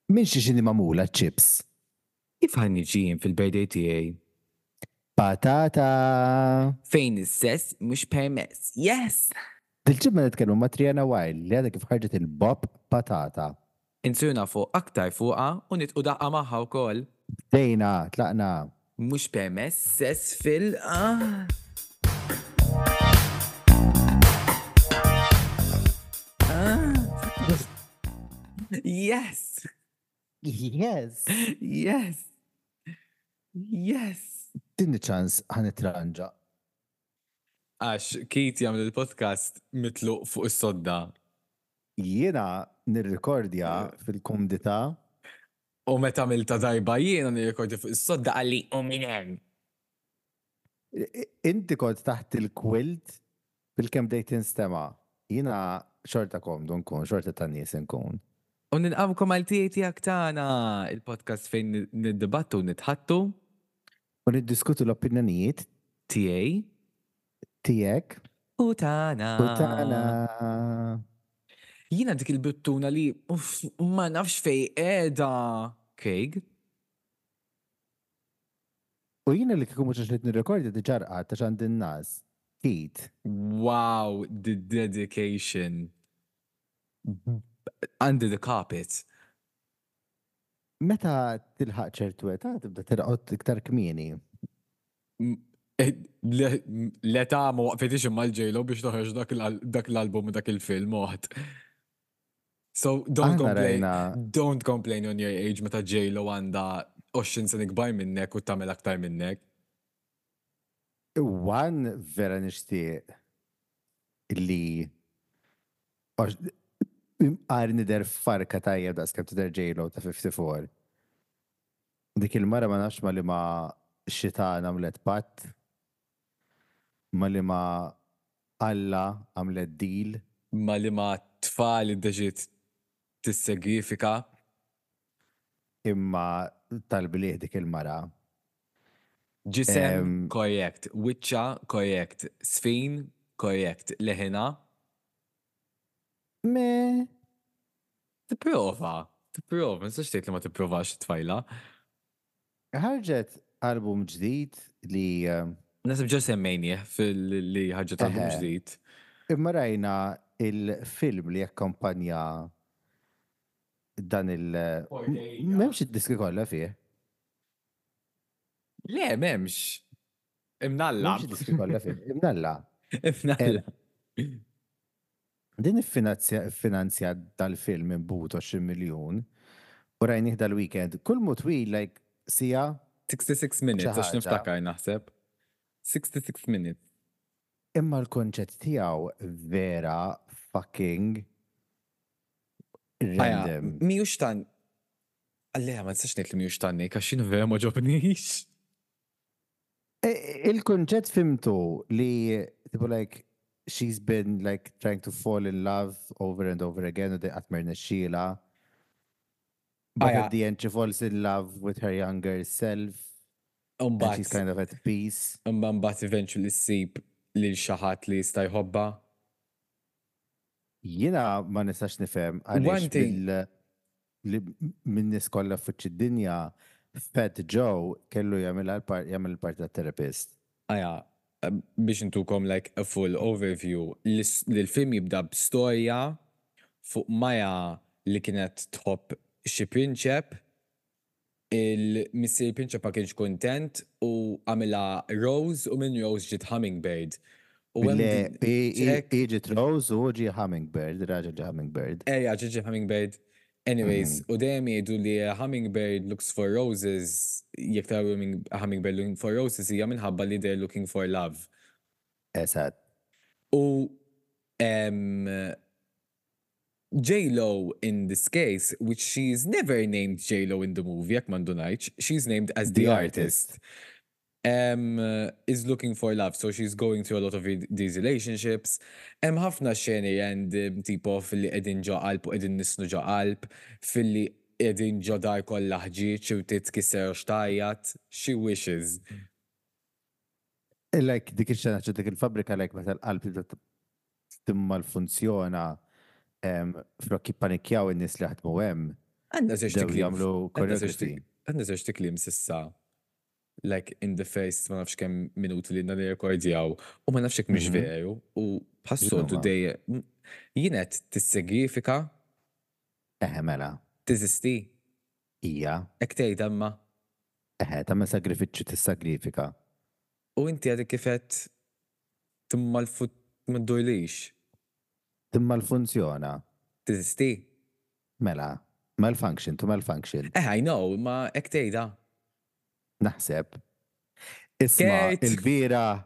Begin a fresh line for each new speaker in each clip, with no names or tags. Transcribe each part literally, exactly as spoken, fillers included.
Minn xiex inhi magħmula chips?
Kif ħa niġi jien fil-birthday tiegħi?
Patata!
Fejn is-sess mhux permess. Yes!
Dil-ġimgħa nitkellmu ma' Triana Wild li għadha kif ħarġet il-Bop Patata.
Insiru nafu aktar fuqha u nidqu daqqa magħha wkoll.
Bdejna, tlaqna.
Mhux permess sess fil- Ah. Ah. Yes!
Yes!
Yes! Yes!
Tini ċans ħa nitranġa.
Għax Keith jagħmel il-podcast mitluq fuq is-sodda.
Jiena nirrikordja fil-kumdità.
U meta għamilta darba jiena nirrekordja fuq is-sodda qalli u minn hemm.
Inti kont taħt il-quilt bil-kemm bdejt tinstema'. Jiena xorta komdu nkun, xorta ta' nies nkun.
U nilqawkom għal tiegħi tiegħek tagħna, il-podcast fejn niddibattu u nitħattu.
U niddiskutu l-opinjonijiet
tiegħi
tiegħek
u tagħna.
U tagħna.
Jiena dik il-buttuna li uff, ma nafx fej qiegħda. Craig.
U jiena li kieku mhux għax qed nirrekordja diġà rqadt għax għandi n-nas. Keith.
Wow, the dedication. Under the carpet.
Meta tilħaq ċertu età tibda tirqod iktar kmieni.
L-età ma waqfitix imma l-J-Lo biex toħroġ dak l-album u dak il-film oħt. So don't complain, don't complain on your age meta J-Lo għandha għoxrin sena ikbar minnek u tagħmel aktar minnek.
One vera nixtieq li għar nider farka tajjeb daqs kemm tidher J-Lo ta' fifty-four. Dik il-mara ma nafx ma li ma xitan għamlet patt, ma li ma Alla għamlet deal.
Ma li ma tfal iddeċiet tissegrifika.
Imma tal-blieh dik il-mara.
Ġisem, korrekt. Wiċċa, korrekt. Sfin, korrekt. Leħina.
Me.
Tipprova. Tipprova. Ma nistax tgħid li ma tipprovax tfajla.
Ħarġet album ġdid li
Nasib ġo semmejnieh fil-li ħarġet album ġdid.
Imma rajna il-film li jakkompanja dan il- M'hemmx id-diski kollha fih.
Le, m'hemmx. Imnalla.
M'hemmx id-diski kollha fih. Imnalla.
Imnalla.
Din iffinanzja dal-film minn but għoxrin miljun u rajnih dal-weekend. Kull mu twil, like, sija.
sixty-six minutes, għax niftakar naħseb. sixty-six minutes.
Imma l-konċett tiegħu vera fucking random.
Mhijiex tan. Alleja, ma nistax ngħid li mhijiex tanni, għax jien vera ma ġobnix.
Il-konċett fimtu li tipo like she's been like trying to fall in love over and over again u qatt ma rnexxielha. But at the end she falls in love with her younger self. And she's kind of at peace.
Imma mbagħad eventually ssib lil xi ħadd li jista' jħobbha.
Jiena ma nistax nifhem għaliex minn nies kollha fuq id-dinja Fat Joe kellu jagħmel jagħmel il-parti tat-therapist.
Aja, biex intukom like a full overview, l-film jibda b'storja fuq Maja li kienet tħobb xi prinċep, il-missier prinċep ma kienx kuntent u għamilha Rose u minn Rose ġiet Hummingbird.
Le, hi ġiet Rose u ġie Hummingbird, raġel ġie Hummingbird.
Ejja, ġie Hummingbird. Anyways, u dejjem jgħidu li hummingbird looks for roses, jekk taraw hummingbird looking for roses hija minħabba li they're looking for love.
Eżatt.
U J-Lo in this case, which she's never named J-Lo in the movie, jekk ma ndunajtx, she's named as the, the artist. artist. Um, is looking for love, so she's going through a lot of these relationships. Hemm ħafna xeni and tipo filli qegħdin ġo qalb u qegħdin nisnu ġo qalb, filli qegħdin ġo dar kollha ħġieġ u titkisser u xtajjat, she wishes.
Like dik ix-xena ġo dik il-fabrika like meta l-qalb tibda timmalfunzjona flok jippanikjaw in-nies li ħadmu hemm.
Għandna żewġt
Bdew
ikliem.
jagħmlu
Għandna żewġt
choreography.
għandna żewġt ikliem s'issa. Like in the first ma nafx kemm minuti li għandna nirrekordjaw u ma nafx jekk mhix
Mhm.
veru u bħas-soltu
X'inhuma?
dejjem jien qed tissegrifika
Eħe mela.
teżisti
Ija.
hekk tgħid imma
Eħe, tagħmel sagrifiċċju tissagrifika.
u inti għadek kif qed timmalfut ma ddurlix.
Timmalfunzjona.
Teżisti?
Mela. Malfunction, to malfunction.
Eh, I know, ma hekk tgħidha.
Naħseb. Isma,
Kurt.
il-bieraħ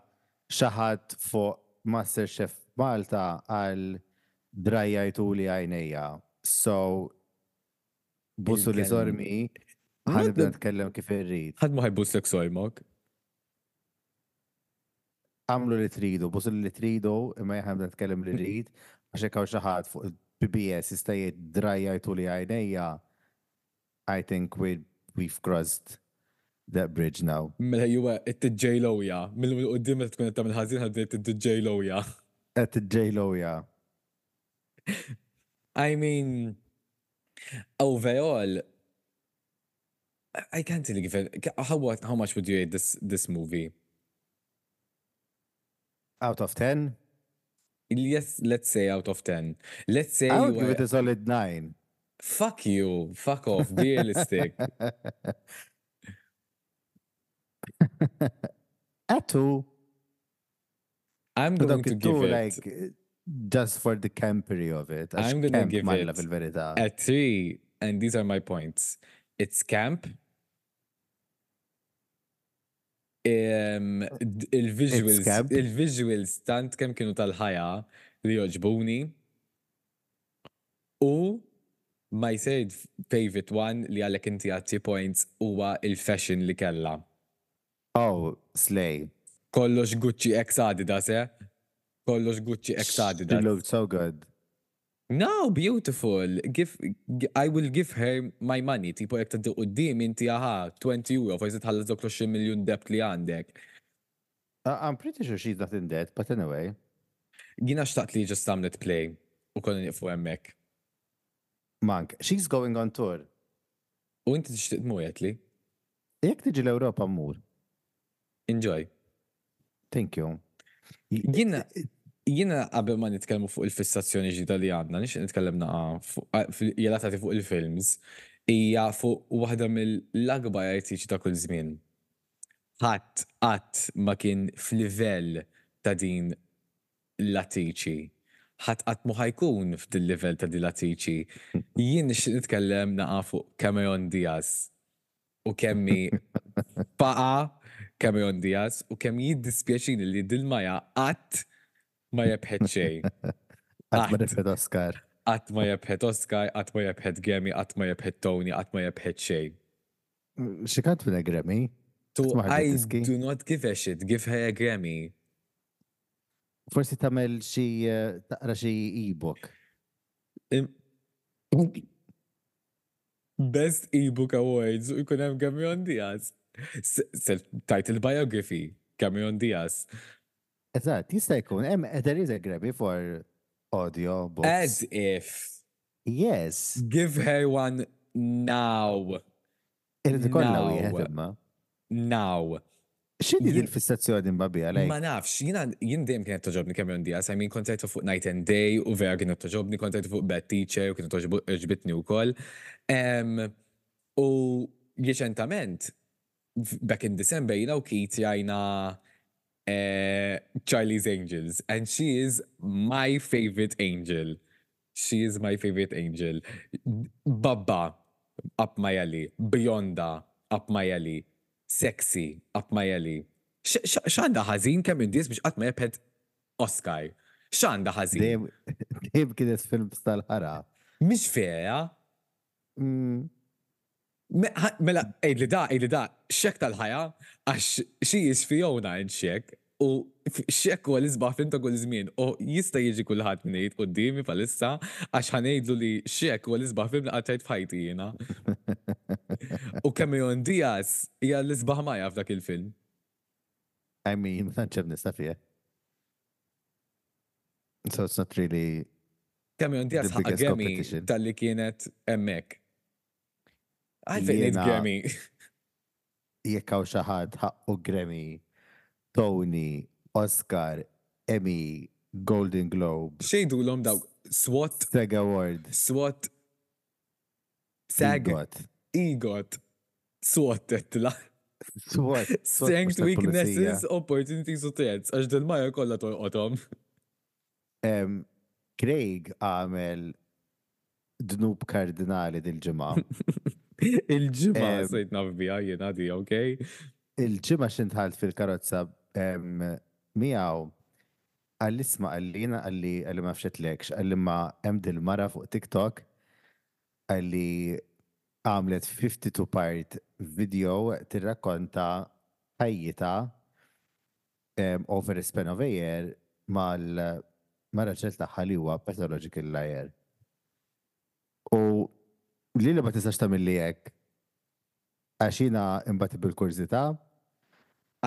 xi ħadd fuq MasterChef Malta qal drajjajtuli għajnejja. So, busuli
Il-kelm.
sormi,
Not
ħa nibda
the-
nitkellem kif irrid.
Ħadd ma ħa jbuslek sormok.
Għamlu li tridu, busuli li tridu, imma jien ħa nibda nitkellem li rrid, għax hekk hawn xi ħadd fuq il-P B S jista' jgħid drajjajtuli għajnejja. I think we, we've crossed that bridge now.
Mela juwa it-ġejlowja. Mill-qoddim meta tkun qed tagħmel ħażin ħadd it-ġejlowja.
Qed ġejlowja.
I mean, overall, I can't really give it. How what? How much would you rate this this movie?
Out of ten?
Yes, let's say out of ten. Let's say
I
you
would give
were,
it a solid nine.
Fuck you. Fuck off. Be realistic.
A two.
I'm
But
going to
dawk
give
two,
it
like, just for the campery of it. Għax
I'm gonna
camp
give
malla
it
fil-verità.
a three, and these are my points. It's camp. Um, d- il-visuals,
camp.
Il-visuals tant kemm kienu tal-ħajja li joġbuni. U my third favorite one li għalek inti għatti points huwa il-fashion li kella.
Oh, slay.
Kollox Gucci x Adidas, eh? Kollox Gucci x
She
Adidas.
looked so good.
No, beautiful. Give, g- I will give her my money. Tipo jekk tgħaddi quddiem inti aha, twenty euro, forsi tħallas dawk l-għoxrin miljun debt li għandek.
Uh, I'm pretty sure she's not in debt, but anyway.
Jiena xtaqt li just għamlet play u konna nieqfu hemmhekk.
Mank, she's going on tour.
U inti tixtieq tmur li?
Jekk tiġi l-Ewropa mmur.
Enjoy.
Thank you.
Jiena jiena qabel ma nitkellmu fuq il-fissazzjoni ġdida li għandna, nixtieq nitkellem naqa fuq ah, fil- relatati fuq il-films, hija fuq waħda mill-akbar artisti ta' kull żmien. Ħadd qatt ma kien f'livell ta' din l-attriċi. Ħadd qatt mu ħa jkun f'dil livell ta' din l-attriċi. Jien nixtieq nitkellem naqa fuq Cameron Diaz u kemm hi faqa Cameron Diaz u kemm jiddispjaċini li dil-mara qatt ma rebħet xejn.
Qatt ma
Qatt.
rebħet Oscar.
Qatt ma rebħet Oscar, qatt ma rebħet Grammy, qatt ma rebħet Tony, qatt ma rebħet xejn.
She can't win a Grammy.
To
Qatt ma ħarġet
I
diski.
do not give a shit, give her a Grammy.
Forsi tagħmel xi eh, taqra xi e-book.
Im- Best ebook awards u jkun hemm Cameron Diaz. Self-titled biography, Cameron Diaz.
Eżatt, jista' jkun. Hemm there is a Grammy for audio books.
As if.
Yes.
Give her one now.
Irid ikollha
Now.
wieħed imma.
Now.
X'inhi
Jien-
din il-fissazzjoni imma biha lejk?
Ma nafx, jiena jien dejjem kienet togħġobni Cameron Diaz. I mean, kont rajtu fuq Knight and Day u vera kienet togħġobni, kont rajtu fuq Bad Teacher u kienet togħġobni wkoll. Em, U reċentament, back in December, jiena u Keith rajna eh, Charlie's Angels, and she is my favorite angel. She is my favorite angel. Babba, up my alley. Bionda, up my alley. Sexy, up my alley. X'għandha ħażin Cameron Diaz biex qatt ma rebħet Oscar? X'għandha ħażin?
Dejjem dejjem kienet films tal-ħara.
Mhix vera.
Mm,
Me- ħa- Mela, għidli da, għidli da, Shrek tal-ħajja, għax she is Fiona in Shrek, u f- Shrek huwa l-isbaħ film ta' kull żmien, u jista' jiġi kulħadd minn jgħid quddiemi palissa, għax ħa ngħidlu li Shrek huwa l-isbaħ film li qatt rajt f'ħajti jiena. U Cameron Diaz hija l-isbaħ mara f'dak il-film.
I mean, ma tantx hemm nista' fih. So it's not really
Cameron Diaz
the
ħaqqa
biggest
Grammy
competition.
talli kienet hemmhekk. Għalfejn ngħid
Jiena-
Grammy.
Jekk hawn xi ħadd ħaqqu Grammy, Tony, Oscar, Emmy, Golden Globe,
X'jgħidulhom dawk? SWAT,
SAG Award,
SWAT, SAG,
EGOT.
EGOT, SWAT tetla.
SWAT. SWAT
Strength,
mhux tal-pulizija.
weaknesses, opportunities u threats. Għax dil-Maya kollha tolqothom.
Em, Craig għamel dnub kardinali dil-ġimgħa.
Il-ġimgħa
Em,
sirt naf biha jiena di, okay?
Il-ġimgħa x'ħin dħalt fil-karozza em, miegħu qalli isma' qalli jiena qalli qalli ma fxetlekx, qalli ma hemm dil-mara fuq TikTok qalli għamlet fifty-two part video tirrakkonta ħajjitha em, over a span of a year mal ma' raġel tagħha li huwa pathological liar. U li li ma tistax tagħmilli hekk għax jiena imbagħad bil-kurżità.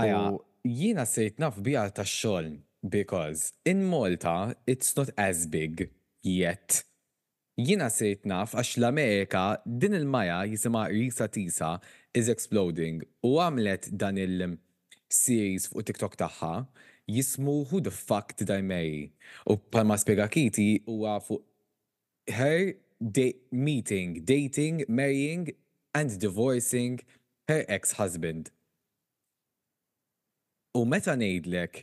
Aja,
u
jiena sirt naf biha tax-xogħol because in Malta it's not as big yet. Jiena sirt naf għax l-Amerika din il-Maya jisimha Reesa Teesa is exploding u għamlet dan il-series fuq TikTok tagħha jismu Who the Fuck Did I Marry? U bħalma spjega Kiti huwa fuq her da meeting, dating, marrying and divorcing her ex-husband. U meta ngħidlek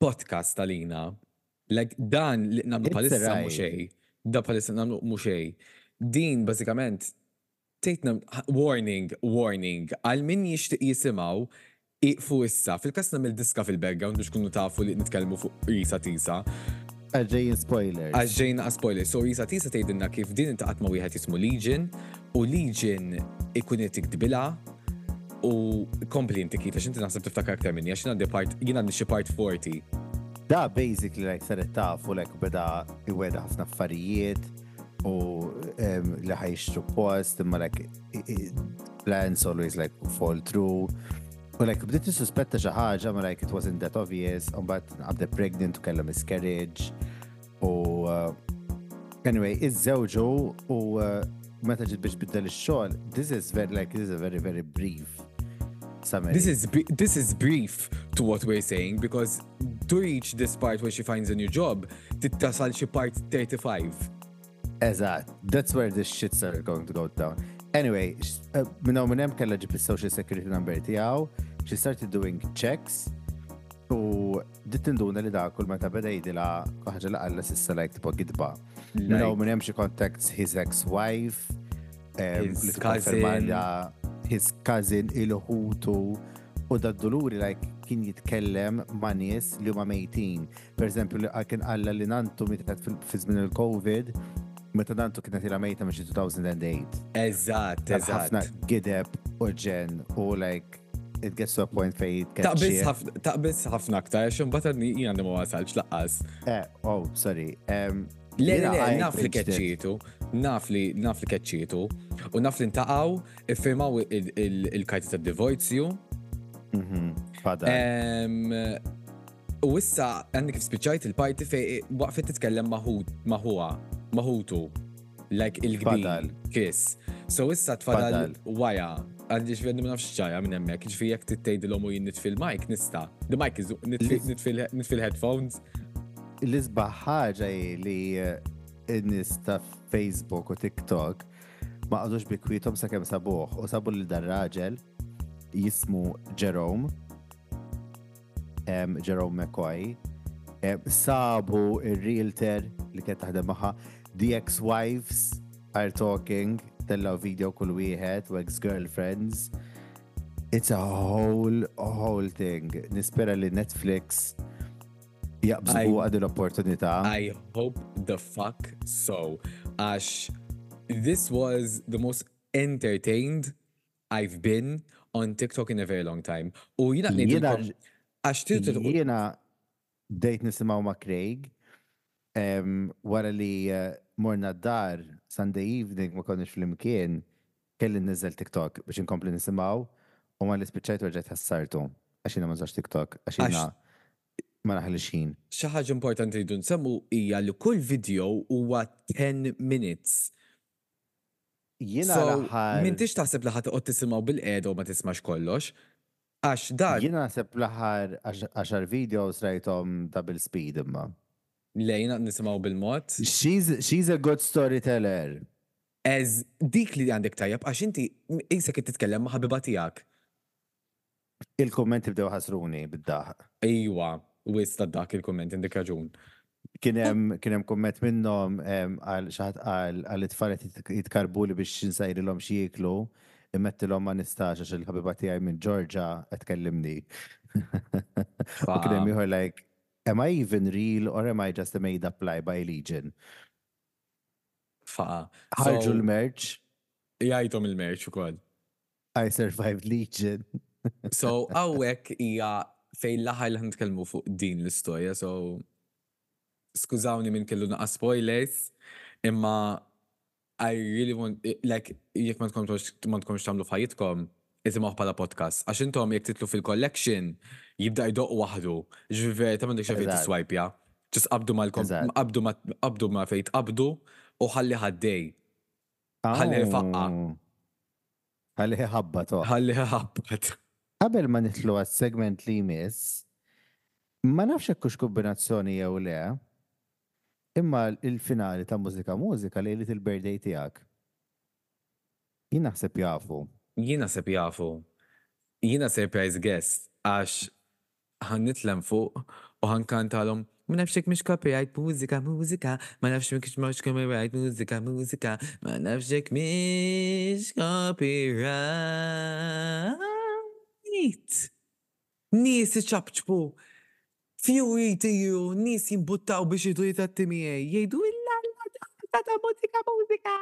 podcast għalina, like dan li nagħmlu
It's a
bħalissa mhu
ride.
xejn, da bħalissa nagħmlu mhu xejn. Din bażikament tgħidna warning, warning, għal min jixtieq jisimgħu iqfu issa. Fil-każ nagħmel diska fil-background biex kunu tafu li nitkellmu fuq Reesa Teesa.
Għax spoilers.
Għax ġejna spoiler. So Reesa Teesa tgħidilna kif din iltaqgħet ma' wieħed jismu Legion u Legion ikun qed jikdbilha u kompli inti Keith, għax inti naħseb tiftakar aktar minni, għax jien għandi part, jien għandi xi part forty.
Da basically like saret tafu like beda iwegħedha ħafna affarijiet u em, li ħa jixtru post imma like i- i- plans always like fall through. U like bdiet tissuspetta xi ħaġa ma like it wasn't that obvious, u mbagħad qabdet pregnant u kellha miscarriage u uh, anyway, iżżewġu u uh, meta ġiet biex biddel ix-xogħol, this is very like this is a very very brief summary.
This is bri- this is brief to what we're saying because to reach this part where she finds a new job, tittasal xi part thirty-five.
Eżatt, that's where the shit started going to go down. Anyway, sh- uh, minn hawn minn hemm kellha ġib is-social security number tiegħu, she started doing checks u bdiet tinduna li da kull meta beda jgħidilha ħaġa li qalla s'issa like tipo gidba. Minn hawn minn hemm she contacts his ex-wife, um,
His
li tikkonferma
cousin.
li his cousin il-ħutu u da d-duluri like kien jitkellem ma' nies li huma mejtin. Per eżempju, li kien qalla li nantu mietet fil- fi żmien il-Covid, meta nantu kienet ilha mejta minn xi two thousand and eight.
Eżatt,
Ħafna
eżatt.
gideb u ġen u like it gets to a point fej
Taqbiż ħafna taqbiż ħafna aktar, għax imbagħad għadni jien għandi ma wasalx lanqas.
Eh, oh, sorry. Um,
Le, le,
jiena
le,
I
naf li
binged it.
keċċietu, naf li naf li keċċietu, u naf li ntaqgħu, iffirmaw il- il- il-karti ta' divorzju.
Mhm, Fadal.
Em, U issa għandi kif spiċċajt il-parti fej waqfet titkellem ma' ħuha, ma' ħutu, like il-kbir,
Fadal.
Chris. So issa tfadal
Fadal.
Waya, għandi ġifieri ma nafx ġara minn hemmhekk, ġifieri jekk tgħidilhom u jien nitfi l-mic nista'. The mic is nitfi nitfi nitfi l-headphones.
L-isbaħ ħaġa hi li eh, n-nies ta' Facebook u TikTok ma qagħdux bi kwiethom sakemm sabuh u sabu li dar-raġel jismu Jerome em, Jerome McCoy em, sabu il-realtor li kienet taħdem magħha. The ex-wives are talking, tellaw video kull wieħed u ex-girlfriends. It's a whole whole thing. Nispera li Netflix jaqbżu
I-
għad l-opportunità.
I hope the fuck so. Għax this was the most entertained I've been on TikTok in a very long time. U jiena
Jiena
ngħidilkom għax tridu
jiena bdejt nisimgħu ma' Craig em, wara li eh, morna d-dar Sunday evening, ma konniex flimkien, kelli nniżżel TikTok biex inkompli nisimgħu u ma li spiċċajt u rġajt ħassartu għax jiena ma nużax TikTok għax jiena ma naħlix ħin.
Xi ħaġa importanti li rridu nsemmu hija li kull video huwa ten minutes.
Jiena
So,
l-aħħar.
m'intix taħseb li ħa toqgħod tisimgħu bilqiegħda u ma tismax kollox. Għax dan
Jiena naħseb l-aħħar għaxar videos rajthom double speed imma.
Lejna nisimgħu bil-mod.
She's, she's a good storyteller.
Ez dik li għandek tajjeb għax inti qisek qed titkellem ma' ħabiba tiegħek.
Il-kommenti bdew ħasruni bid-daħ.
Ejwa, wisq ta' dak il-komment għandek raġun.
Kien hemm kien hemm komment minnhom em, għal xi ħadd qal għal it-tfal qed jitkarbu li biex nsajrilhom xi jieklu, immettilhom ma nistax għax il-ħabiba tiegħi minn Georgia qed tkellimni. U kien hemm ieħor like, am I even real or am I just a made up lie by Legion?
Faqa.
Ħarġu
So,
l-merch,
Jgħidhom il-merch ukoll.
I survived Legion.
So, hawnhekk hija fejn l-aħħar li nitkellmu fuq din l-istorja, so skużawni minn kellu naqa spoilers, imma I really want, like, jekk ma tkomx ma tkomx tagħmlu f'ħajjitkom, isimgħu bħala podcast. Għax intom jekk titlu fil-collection, jibda jdoq waħdu. Ġifieri vera m'għandekx fejn
Eżatt.
tiswajpja. Just qabdu mal-kom,
Eżatt.
qabdu ma qabdu ma fejn tqabdu u ħalli ħaddej. Ħalli faqqa.
Oh. Ħalli ħabba to.
Ħalli ħabbat.
Qabel ma nidħlu għas-segment li jmiss, ma nafx hekk hux kombinazzjoni jew le, imma il-finali ta' Mużika Mużika lejlet il-birthday tiegħek. Jien naħseb jafu.
Jien naħseb jafu. Jiena surprise guest għax ħa nitlem fuq u ħa nkantalhom ma nafx jekk mhix copyright mużika mużika, ma nafx jekk mhix copyright mużika mużika, ma nafx jekk mhix copyright. Nies iċapċpu. Fury tiju, nies jimbuttaw biex jidu jitatti miegħi, jgħidu illa ta' ta' mużika mużika.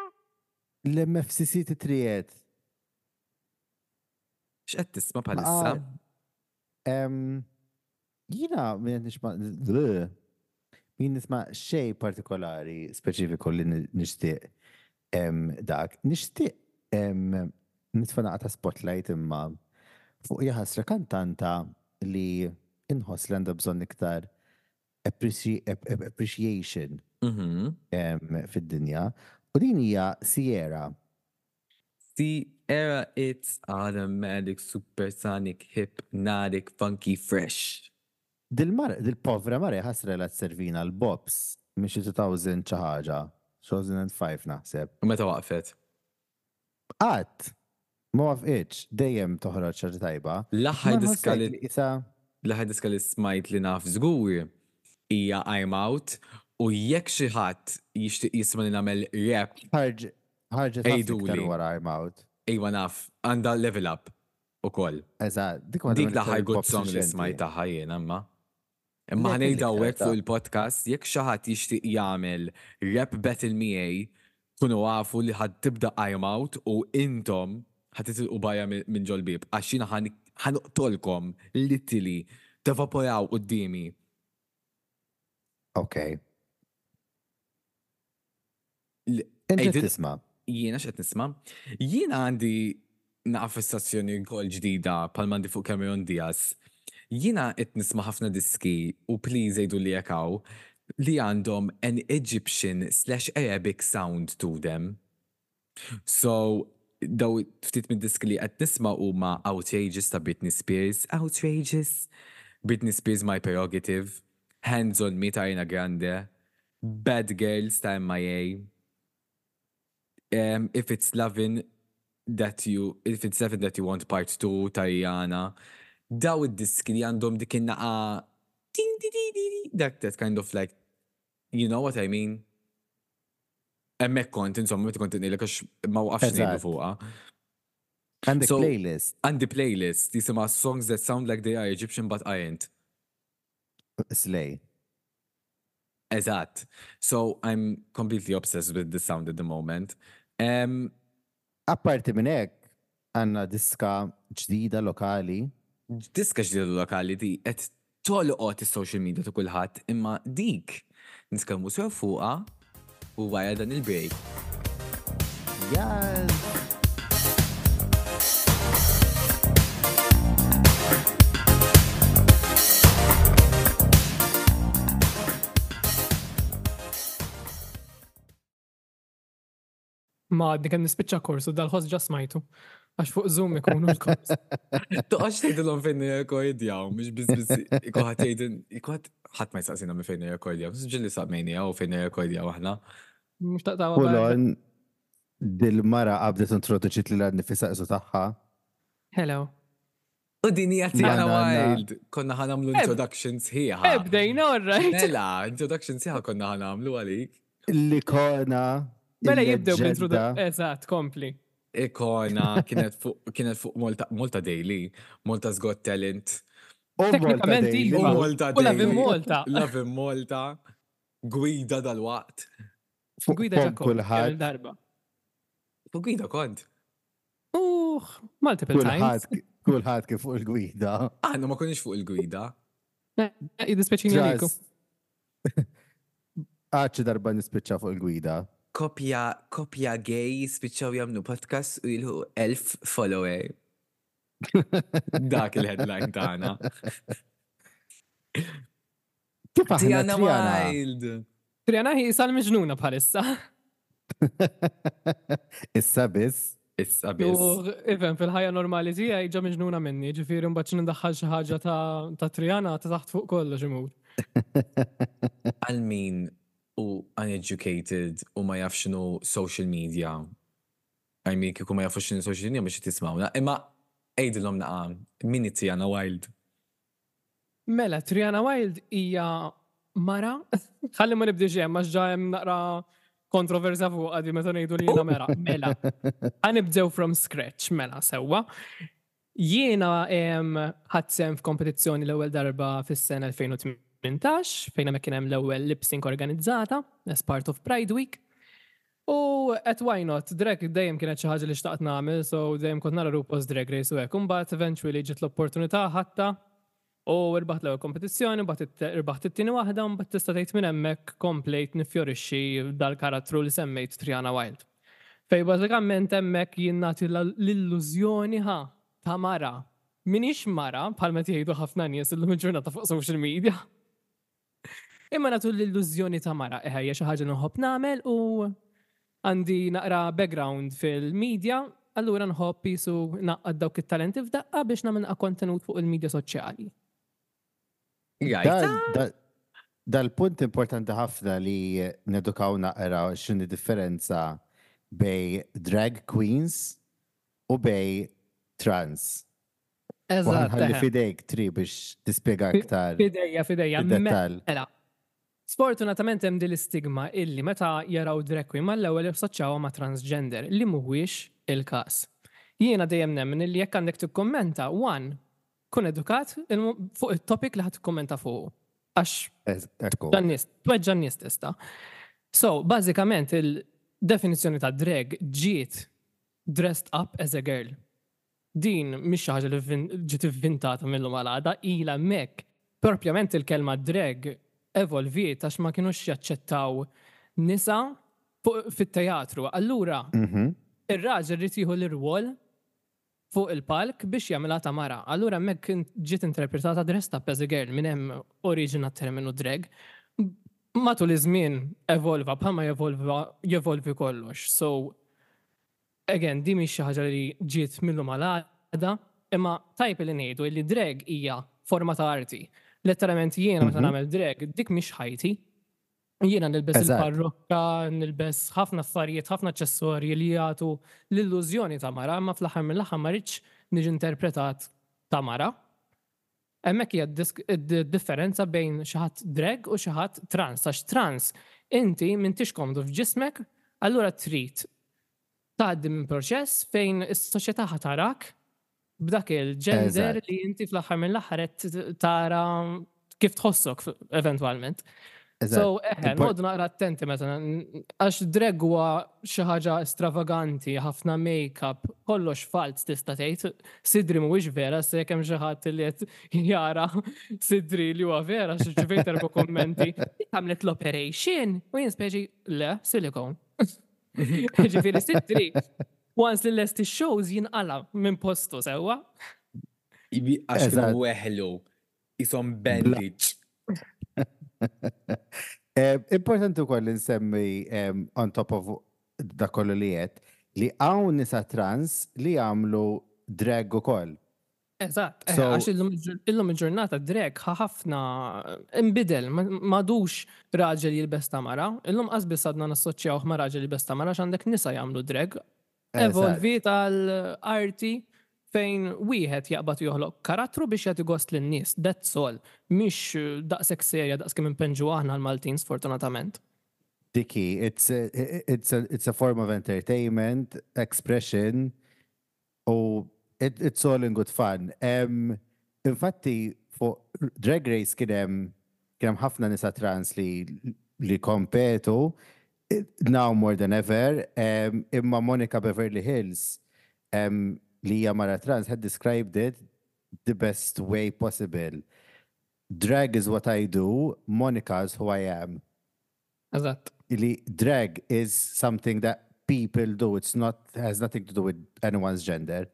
L-M F C C titriet.
X'qed tisma' bħalissa?
Em, Jiena minn nisma' min nisma' xej partikolari speċifiku li ni- nixtieq em, dak. Nixtieq em, nitfa' naqra ta' spotlight imma fuq jaħasra kantanta li inħoss li għandha bżonn iktar appreci- ap- ap- appreciation
Mhm.
em, fid-dinja. U din hija Sierra.
Sierra, it's automatic, supersonic, hypnotic, funky, fresh.
Dil-mar, dil-povra mara ħasra la t-servina l-bops minn xi elfejn xi ħaġa, elfejn u ħamsa naħseb.
U meta waqfet?
Qatt, ma waqfitx, dejjem toħroġ xi ħaġa tajba.
L-aħħar
Ma
diska
nħossek
li
li isa
l-aħħar diska li smajt li naf żgur hija I'm Out u jekk xi ħadd jixtieq jisma' li nagħmel rap
ħarġ ħarġet ħafna iktar
Ejduli.
wara I'm Out.
Ejwa naf, għandha Level Up ukoll.
Eżatt, dik waħda
Dik
mill-iktar
l-aħħar good
bops
song li
riċenti.
smajt tagħha jien imma. Imma
Le,
ħa ngħidha
kelli
hawnhekk
iktar
fuq
ta'
il-podcast, jekk xi ħadd jixtieq jagħmel rap battle miegħi, kunu għafu li ħa tibda I'm Out u intom ħa titilqu barra minn minn ġol-bieb għax jiena ħa noqtolkom literally tevaporaw quddiemi.
Ok.
L-
Inti
Ejdil-
tisma'.
Jiena x'qed nisma'? Jiena għandi naqa fissazzjoni wkoll ġdida bħal m'għandi fuq Cameron Diaz. Jiena qed nisma' ħafna diski u please għidu li jekk hawn li għandhom an Egyptian slash Arabic sound to them. So, daw ftit mid diski li qed nisma' huma Outrageous ta' Britney Spears, Outrageous, Britney Spears My Prerogative, Hands on Me ta' Ariana Grande, Bad Girls ta' M I A, um, If It's Lovin' That You, If It's Lovin' That You Want Part two ta' Rihanna. Daw id-diski li għandhom dik in-naqa ding di di di di, that, that kind of like, you know what I mean? Hemmhekk kont, insomma, meta kont ngħidlek għax ma waqafx ngħidu
Eżatt.
fuqha.
Għandek
So-
playlist.
Għandi playlist jisimha Songs That Sound Like They Are Egyptian But Aren't.
Slay.
Eżatt. So I'm completely obsessed with the sound at the moment. Um,
Apparti minn hekk, għandna diska ġdida lokali.
Diska ġdida lokali di qed tolqot is-social media ta' kulħadd, imma dik nitkellmu sew fuqha u wara dan il-break.
Yes!
Ma għadni kemm nispiċċa kors u dal-ħoss ġa smajtu. Għax fuq Zoom ikunu l-kors.
Toqgħodx tgħidilhom fejn nirrekordjaw, mhux biss biss ikoħat jgħidin, ikoħat ħadd ma jistaqsina minn fejn nirrekordjaw, ġieli saqmejni u fejn nirrekordjaw aħna.
Mhux taqtawa
Full on, dil-mara qabdet introduċiet lilha nnifisha isu tagħha.
Hello.
U din hija Tiana
Na, na, na.
Wild. Konna ħa nagħmlu
Eb-
introduction sħiħa.
Ebdejna, all right.
Mela, introduction sħiħa konna ħa nagħmlu għalik.
L-ikona.
Mela jibdew
il-leġġenda.
bl-introduction. Eżatt, kompli.
Ikona kienet fuq kienet fuq Malta, Malta Daily, Malta's Got Talent.
U Malta
Teknikament
Daily.
U
iva.
Malta
U Love in
Daily.
Malta.
Love in Malta. Gwida dal-waqt.
Fuq
Gwida
fom
ġa
kulħadd.
darba.
Fuq gwida kont.
Uħ, multiple times.
Kulħadd kulħadd kif fuq il-gwida.
Aħna ma konniex fuq il-gwida.
Eh, Jiddispjaċini għaliku.
Trust. Għadċi darba nispiċċa fuq il-gwida.
Kopja, kopja gay spiċċaw jagħmlu podcast u jilħqu elf follower. Dak il-headline tagħna.
Kif aħna
Tiana
Triana?
Wild.
Triana hi sal-miġnuna bħalissa.
Issa biss.
Issa biss.
U even fil-ħajja normali tiegħi ġa miġnuna minni, ġifieri mbagħad xi xi ħaġa ta' ta' Triana ta' taħt fuq kollox imur.
Għal min u uneducated u ma jafx x'inhu social media. I mean, kieku ma jafux x'inhu social media biex tismawna. Imma għidilhom naqa, min hi Tiana Wild.
Mela, Triana Wild hija mara. Ħalli ma nibdiex hemm għax ġa hemm naqra kontroversja fuq għadi meta ngħidu li jiena mera. Mela, ħa nibdew from scratch, mela sewwa. Jiena em, ħadt sehem f'kompetizzjoni l-ewwel darba fis-sena elfejn u tmintax fejn hemmhekk kien hemm l-ewwel lip sync organizzata as part of Pride Week. U at why not, drag dejjem kienet xi ħaġa li xtaqt nagħmel, so dejjem kont nara RuPaul's Drag Race u hekk. Imbagħad eventually ġiet l-opportunità ħadtha u rbaħt l-ewwel kompetizzjoni, mbagħad it- irbaħt it-tieni waħda, u mbagħad tista' tgħid minn hemmhekk komplejt nifjorixxi dal-karattru li semmejt Triana Wild. Fej bażikament hemmhekk jien nagħti l-illużjoni ħa ta' mara. Minix mara, bħalma jgħidu ħafna nies illum il-ġurnata fuq social media. Imma nagħtu l-illużjoni ta' mara, eħe, hija xi ħaġa li nħobb nagħmel u għandi naqra background fil-media, allura nħobb jisu naqqad dawk it-talenti f'daqqa biex nagħmel naqra kontenut fuq il-media soċjali.
Jajta.
Dal- dal- Dal-punt importanti ħafna li nedukaw naqra x'inhi differenza bejn drag queens u bejn trans. U
Eżatt.
ħalli
eħe.
fidejk Tri biex tispjega aktar
Fidejja, fidejja.
fid-dettall.
Mela, sfortunatament hemm din l-istigma illi meta jaraw drag queen mal-ewwel jassoċjawha ma' transgender li mhuwiex il-każ. Jiena dejjem nemmen illi jekk għandek tikkommenta, one, kun edukat il- fuq it-topic li ħadd tikkommenta fuq. Għax
Ez- Ekku.
dan-nies, tweġġa' n-nies tista'. So, bażikament il-definizzjoni ta' drag ġiet dressed up as a girl. Din mhix xi ħaġa li vin- ġiet ivvintata mill-lum għal għada, ilha hemmhekk. Propjament il-kelma drag evolviet għax ma kienux jaċċettaw nisa fuq- fit-teatru. Allura,
Mhm.
ir-raġel irid jieħu l-irwol fuq il-palk biex jagħmilha ta' mara. Allura hemmhekk in- ġiet interpretata dressed up as a girl minn hemm oriġina terminu drag. Matul iż-żmien evolva bħalma jevolva jevolvi kollox. So again, di mhix xi ħaġa li ġiet mill-lum għal għada, imma tajb li ngħidu li drag hija forma ta' arti. Letteralment jiena meta
Mhm.
nagħmel drag, dik mhix ħajti. Jiena nilbes
Eżatt.
il-parrokka, nilbes ħafna affarijiet, ħafna aċċessorji li jagħtu l-illużjoni ta' mara, imma fl-aħħar mill-aħħar ma rridx niġi interpretat ta' mara. Hemmhekk hija d-disk- id-differenza bejn xi ħadd drag u xi ħadd trans. Għax trans inti m'intix komdu f'ġismek, allura trid tgħaddi minn proċess fejn is-soċjetà ħa tarak b'dak il-gender
Eżatt.
li inti fl-aħħar mill-aħħar qed tara kif tħossok f- eventwalment.
Eżatt.
So, eħe,
Impor-
noqogħdu naqra attenti meta n- għax drag huwa xi ħaġa stravaganti, ħafna make-up, kollox falz tista' tgħid. Sidri mhuwiex vera, se jekk hemm xi ħadd li qed jara sidri li huwa vera, xi ġivejt erba' kommenti. Għamlet l-operation u jien speċi le, silicone. Ġifieri sidri, once li lest shows jinqala minn postu sewwa.
Ibi- Għax kienu
Eżatt.
weħlu. Isom bandage.
Eh, Importanti wkoll li nsemmi em, on top of da kollu li qed li hawn nisa trans li jagħmlu drag ukoll.
Eżatt, eh, għax illum il-ġurnata drag ħafna imbidel, m'għadux raġel jilbes ta' mara, illum qas biss għadna nassoċjawh ma' raġel jilbes ta' mara għandek nisa jagħmlu drag. Evolvi tal-arti fejn wieħed jaqbad joħloq karattru biex jagħti gost lin-nies, that's all. Mhix daqshekk serja daqs kemm impenġu aħna l-Maltin, sfortunatament.
Diki, it's a, it's a, it's a form of entertainment, expression, u it, it's all in good fun. Um, infatti, fuq Drag Race kien hemm kien hemm ħafna nisa trans li li kompetu, now more than ever, um, imma Monica Beverly Hills, um, li hija mara trans, had described it the best way possible. "Drag is what I do, Monica is who I am."
Eżatt.
Li drag is something that people do, it's not, has nothing to do with anyone's gender.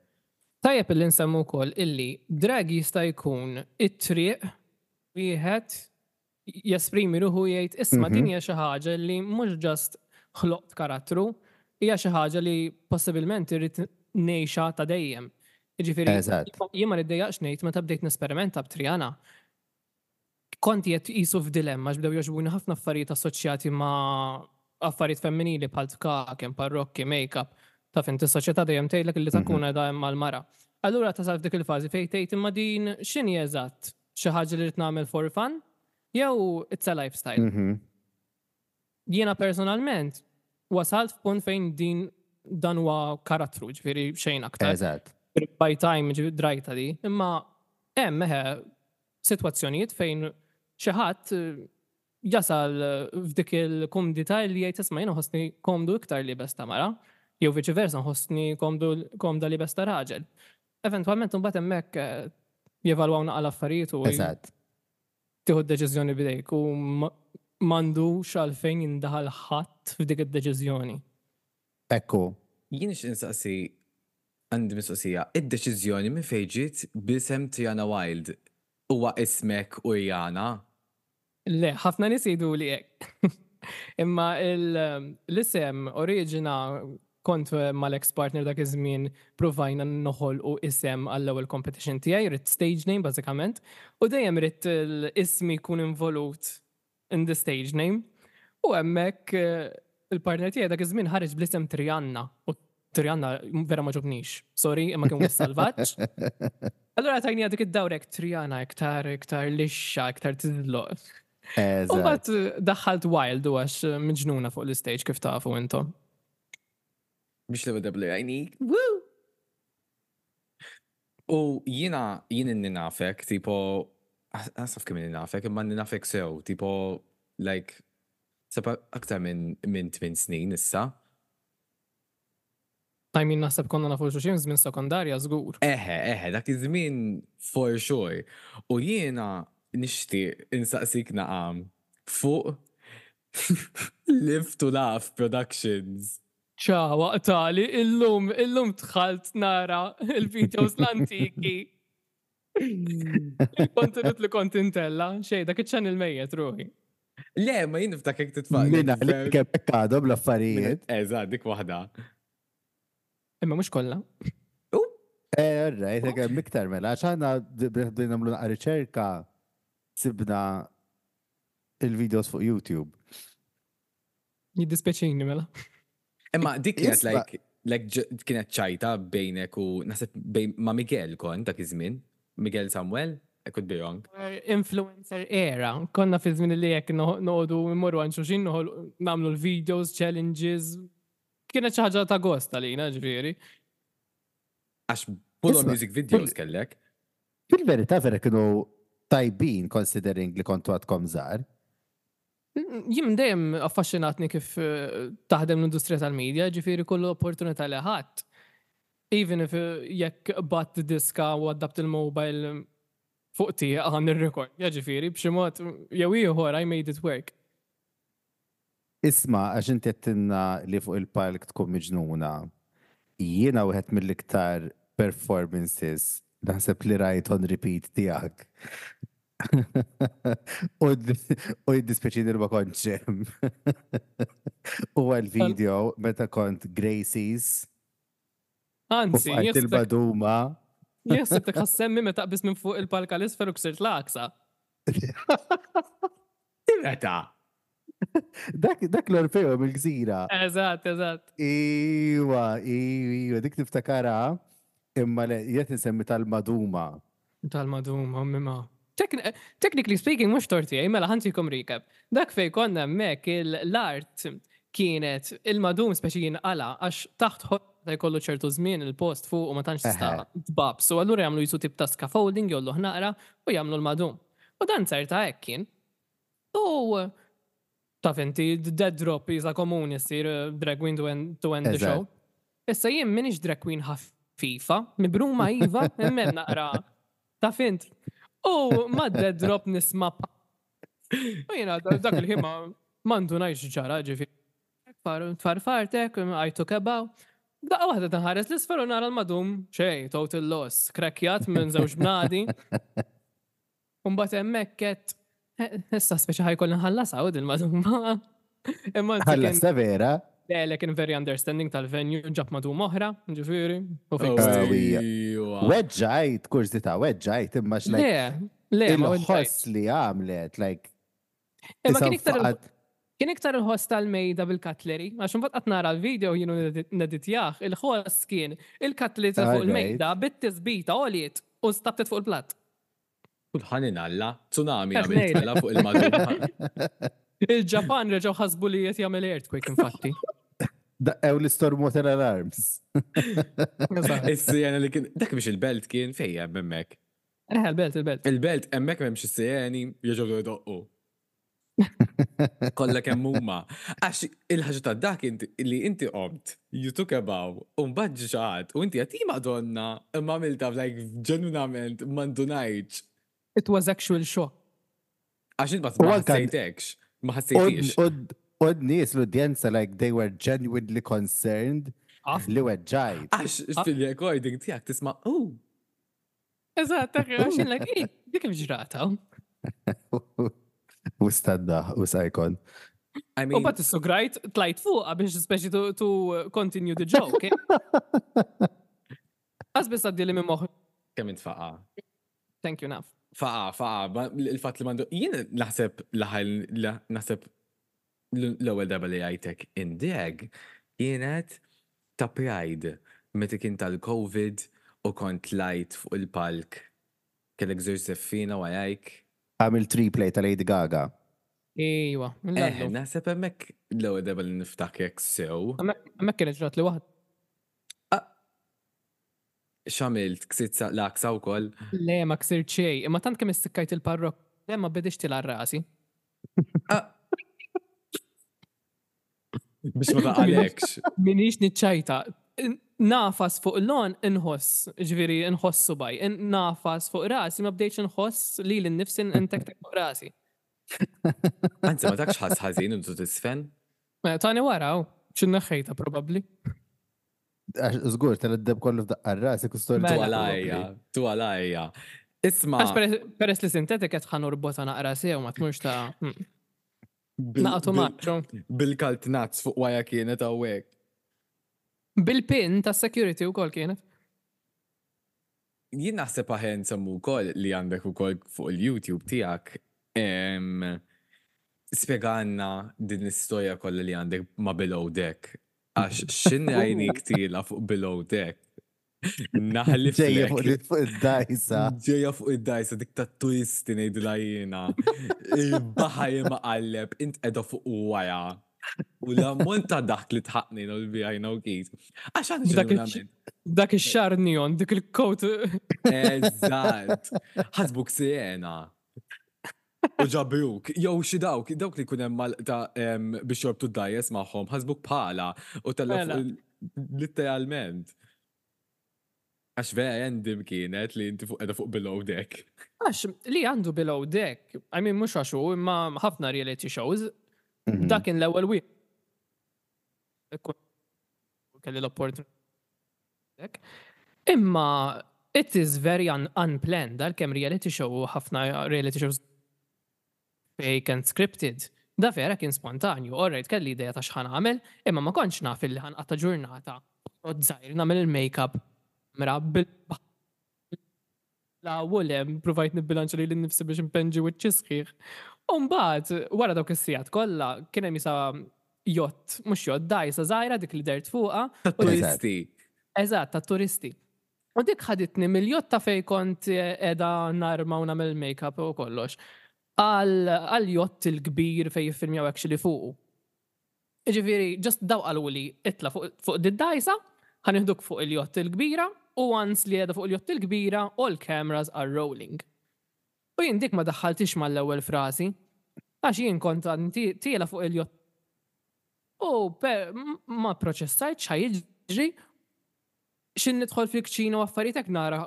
Tajjeb illi nsemmu wkoll illi drag jista' jkun it-triq wieħed jesprimi ruħu, jgħid, "Isma', din hija xi ħaġa li mhux just ħloqt karattru, hija xi ħaġa li possibilment irrid ngħixha ta' dejjem." Jiġifieri jien ma niddejjaqx ngħid, meta bdejt nesperimenta b'Triana, kont qed qisu f'dilemma għax bdew jogħġbuni ħafna affarijiet assoċjati ma' affarijiet femminili bħal tkaken, parrokki, make-up. Taf inti, s-soċjetà dejjem tgħidlek li takuna da hemm mal-mara. Allura tasal f'dik il-fażi fejn tgħid, "Imma din x'inhi eżatt? Xi ħaġa li rrid nagħmel for fun? Jew it's a lifestyle?"
Mhm.
Jiena personalment wasalt f'punt fejn din dan huwa karattru, ġifieri xejn aktar.
Eżatt.
By time, ġifieri drajta di, imma hemm eħe sitwazzjonijiet fejn xi ħadd eh, jasal f'dik il-kumdità li jgħid, "Isma', jiena nħossni komdu iktar liebes ta' mara, jew viċi versa, nħossni komdu komda liebes ta' raġel." Eventwalment imbagħad hemmhekk eh, jevalwaw naqra l-affarijiet u
Eżatt.
tieħu d-deċiżjoni b'idejk u ma- m'għandux għalfejn jindaħal ħadd f'dik id-deċiżjoni.
Ekku.
Jien nixtieq insaqsi, għandi mistoqsija, id-deċiżjoni minn fejn ġiet b'isem Triana Wild? Huwa ismek u Rihanna?
Le, ħafna nies jgħidu li hekk. Imma il- l-isem oriġina kont mal-ex partner dak iż-żmien, provajna noħolqu isem għall-ewwel competition tiegħi, ridt stage name bażikament, u dejjem ridt l-ismi jkun involut in the stage name. U hemmhekk eh, il-partner tiegħi dak iż-żmien ħareġ bl-isem Trianna u Trianna vera ma għoġobnix. Sorry, imma kien wisq salvaġġ. Allura tajni dik id-dawrek Triana iktar iktar lixxa, iktar tiżloq. U
Eżatt.
mbagħad daħħalt Wild u għax miġnuna fuq l-stage, kif tafu intom.
Biex l ewwel għajni. Woo! U jiena, jien inni nafek, tipo, għasaf kemm inni nafek, imma inni nafek sew, tipo, like, seba aktar minn minn tmien snin issa.
I mean, naħseb konna nafu xulxin żmien sekondarja żgur.
Eħe, eħe, dak iż-żmien for sure. U jiena nixtieq insaqsik naqam fuq Live to Laugh Productions.
ċa, waqtali, illum, illum dħalt nara il-videos l-antiki. Il-kontenut li kont intella, xej, dak iċ-channel mejjet ruħi.
Le, ma jien niftakek titfa'
Minna li kemm hekk għadhom l-affarijiet.
Eżatt, dik waħda.
Imma mhux kollha.
Eh, right, hemm iktar mela, għax aħna bdejna nagħmlu naqra riċerka, sibna il-videos fuq YouTube.
Jiddispjaċini mela.
Imma dik kienet
Isma'
like, like ġ- kienet ċajta bejnek u naħseb bejn ma' Miguel kont dak iż-żmien. Miguel Samuel, I could be wrong.
Influencer era. Konna fi żmien li jekk noqogħdu mmorru għand xulxin nagħmlu l-videos, challenges. Kienet xi ħaġa ta' gost għalina, ġifieri.
Għax pull on
Isma'
music videos kellek.
Fil-verità vera kienu tajbin, considering li kontu għadkom żgħar.
Jien dejjem affaxxinatni kif eh, taħdem l-industrija tal-media, ġifieri kull opportunità li ħadd. Even if eh, jekk bat diska u għaddabt il-mobile fuq tiegħek għan ir-record, ja ġifieri b'xi mod jew ieħor I made it work.
Isma', għax inti għedtilna li fuq il-palk tkun miġnuna. Jiena wieħed mill-iktar performances naħseb li rajt on repeat tiegħek. U u jiddispjaċini li ma kontx hemm. Huwa l-video meta kont Gracie's u
Anzi,
fqajt il-maduma.
jien ħsibtek ħa ssemmi meta qbiż minn fuq il-palka l-isfel u ksirt l-għaksa.
Meta?
Dak dak l-Orfeo mill-gżira.
Eżatt, eżatt.
Iwa, iwa, dik tiftakara imma le jiet insemmi tal-maduma.
Tal-maduma, mimma. Technically speaking, mhux tort tiegħi, mela ħa ntikom recap. Dak fej konna hemmhekk l-art kienet il-madum speċi jinqala għax taħt ta' jkollu ċertu żmien il-post fuq u ma tantx tista' tbab. So allura jagħmlu jisu tip ta' scaffolding jollu naqra u jagħmlu l-madum. U dan ċerta hekk kien. U taf inti dead drop jisa komuni ssir eh, drag queen to end, to end the show. Issa jien minix drag queen ħafifa, mibruma iva, imma naqra. Taf int. U ma dead drop nisma' U jiena dak il-ħin ma ndunajtx ġara ġifieri. Tfarfartek, I took a bow. Daqqa waħda taħares l-isfel u nara l-madum, xej, total loss, krekjat minn żewġ bnadi. Umbagħad hemmhekk qed issa speċi ħa jkolli nħallas għawd il-madum. Imma
Ħallas ta' vera?
Le, le kien very understanding tal-venue, ġab madum oħra, ġifieri. U
Weġġajt, kurżità, weġġajt, imma
Le, le,
il-ħoss li għamlet, like.
Imma kien iktar Kien iktar il-ħoss tal-mejda bil-cutlery, għax mbagħad qatt nara l-video jienu neditjah, il-ħoss kien il-cutlery ta' fuq il-mejda bit-tisbita għoliet u stabtet fuq il-platt.
Kulħanin Alla, tsunami għamilt fuq il-madum.
Il-Ġapan reġgħu ħasbu li qed jagħmel earthquake infatti.
Daqqew l-storm water alarms.
Is-sirena li kien, dak biex il-belt kien fejja hemmhekk.
Eh, il-belt, il-belt.
Il-belt hemmhekk m'hemmx is-sireni jerġgħu jdoqqu. Kollha kemm huma. Għax il-ħaġa ta' dak li inti qomt, you took a bow, u mbagħad ġi xi u inti għati madonna, imma għamilta like ġenwinament ma ndunajtx.
It was actual shock.
Għax int ma ħassejtekx, ma ħassejtix.
U n-nies l-udjenza like they were genuinely concerned li weġġajt.
Għax fil-recording tiegħek tisma' oh.
Eżatt, għax like, dik kif ġrata.
U stadda, u sajkon.
I
U
mean,
bat is-sugrajt tlajt fuqha biex speċi to, to continue the joke. Għaz biss għaddi li minn moħ.
kemm int faqa.
Thank you, naf.
Faqa, faqa, ma- il-fatt li mandu. Jien naħseb laħal, naħseb l-ewwel darba li għajtek in drag kienet ta' Pride meta kien tal-Covid u kont tlajt fuq il-palk kellek żewġ żeffina warajk.
Għamil replay ta' Lady Gaga.
Ejwa,
Eh,
mill-għallu.
naħseb hemmhekk l-ewwel darba li niftakrek sew.
Hemmhekk kienet ġrat li waħd.
X'għamilt ksirt l-għaksa wkoll.
Le, ma ksirt xejn, imma tant kemm istikkajt il-parrok, le ma bedix tila rasi.
Ah. Biex ma taqalekx.
Minix niċċajta. Nafas fuq l-on inħoss, ġifieri inħoss subaj, nafas fuq rasi, ma bdejtx inħoss li l-nifsi intektek fuq rasi.
Anzi, ma takx ħass ħażin intu tisfen.
Ma Tani wara, xi neħħejta probabbli.
Għax Żgur, tal-deb kollu f'daqqa rasi kustor.
Mela.
Tu għalajja, tu għalajja. Isma,
Għax peress- peress li sintetik qed ħa norbotha naqra sew ma tmurx ta' mm,
bil-
naqtu
bil-
maċċu.
bil-kalt nuts fuq waja kienet hawnhekk.
Bil-pin ta' security wkoll kienet.
Jien naħseb aħen nsemmu wkoll li għandek ukoll fuq il-YouTube tiegħek em, spjegalna din l-istorja kollha li għandek ma' Below Deck. Għax x'inrajnik tila fuq Below Deck. Naħliflek.
Ġejja fuq fuq id-dajsa.
Ġeja fuq id-dajsa dik ta' turisti ngħidilha jiena. Il-baħar imqalleb, int qiegħda fuq wara. U l-ammont ta' dak li tħaqni no l-bijajna u kif. Għax għandi
Dak il-
ġenwinament.
Dak ix-xar neon, dik il-coat.
Eżatt. Ħasbuk sirena. U ġabruk, jew xi dawk, dawk li jkun hemm mal ta' em, biex jorbtu d-dajes magħhom, ħasbuk bħala u tella
Mela.
fuq il- literalment. Għax vera random kienet li inti fuq qiegħda fuq below deck.
Għax li għandu below deck, I mean mhux għax hu, imma ħafna reality shows,
Mhm.
dak kien l-ewwel wieħed. Kelli l-opportunità. Imma It is very un unplanned, għalkemm reality show u ħafna reality shows fake and scripted. Da vera kien spontanju, alright, kelli idea ta' x'ħa nagħmel, imma ma kontx naf illi ħa nqatta' ġurnata. U żgħir nagħmel il-makeup mra bil la u le, provajt nibbilanċa lili nnifsi biex npenġi wiċċi sħiħ. U mbagħad wara dawk is-sigħat kollha kien hemm isa jott, mhux jott, dgħajsa żgħira dik li dert fuqha.
Ta' turisti.
Eżatt, ta' turisti. U dik ħaditni mill-jott ta' fej kont qiegħda narma u nagħmel make-up u kollox. Għal jott il-kbir fej jiffilmjaw actually fuqu. Ġifieri, just daw qaluli itla fuq fuq d-dgħajsa, ħa nieħduk fuq il-jott il-kbira, u once li qiegħda fuq il-jott il-kbira, all cameras are rolling. U jien dik ma daħħaltix mal-ewwel frasi, għax jien kont tiela fuq il-jott. U pe- ma proċessajt x'ħa jiġri, xin nidħol fil-kċina u affarijiet hekk nara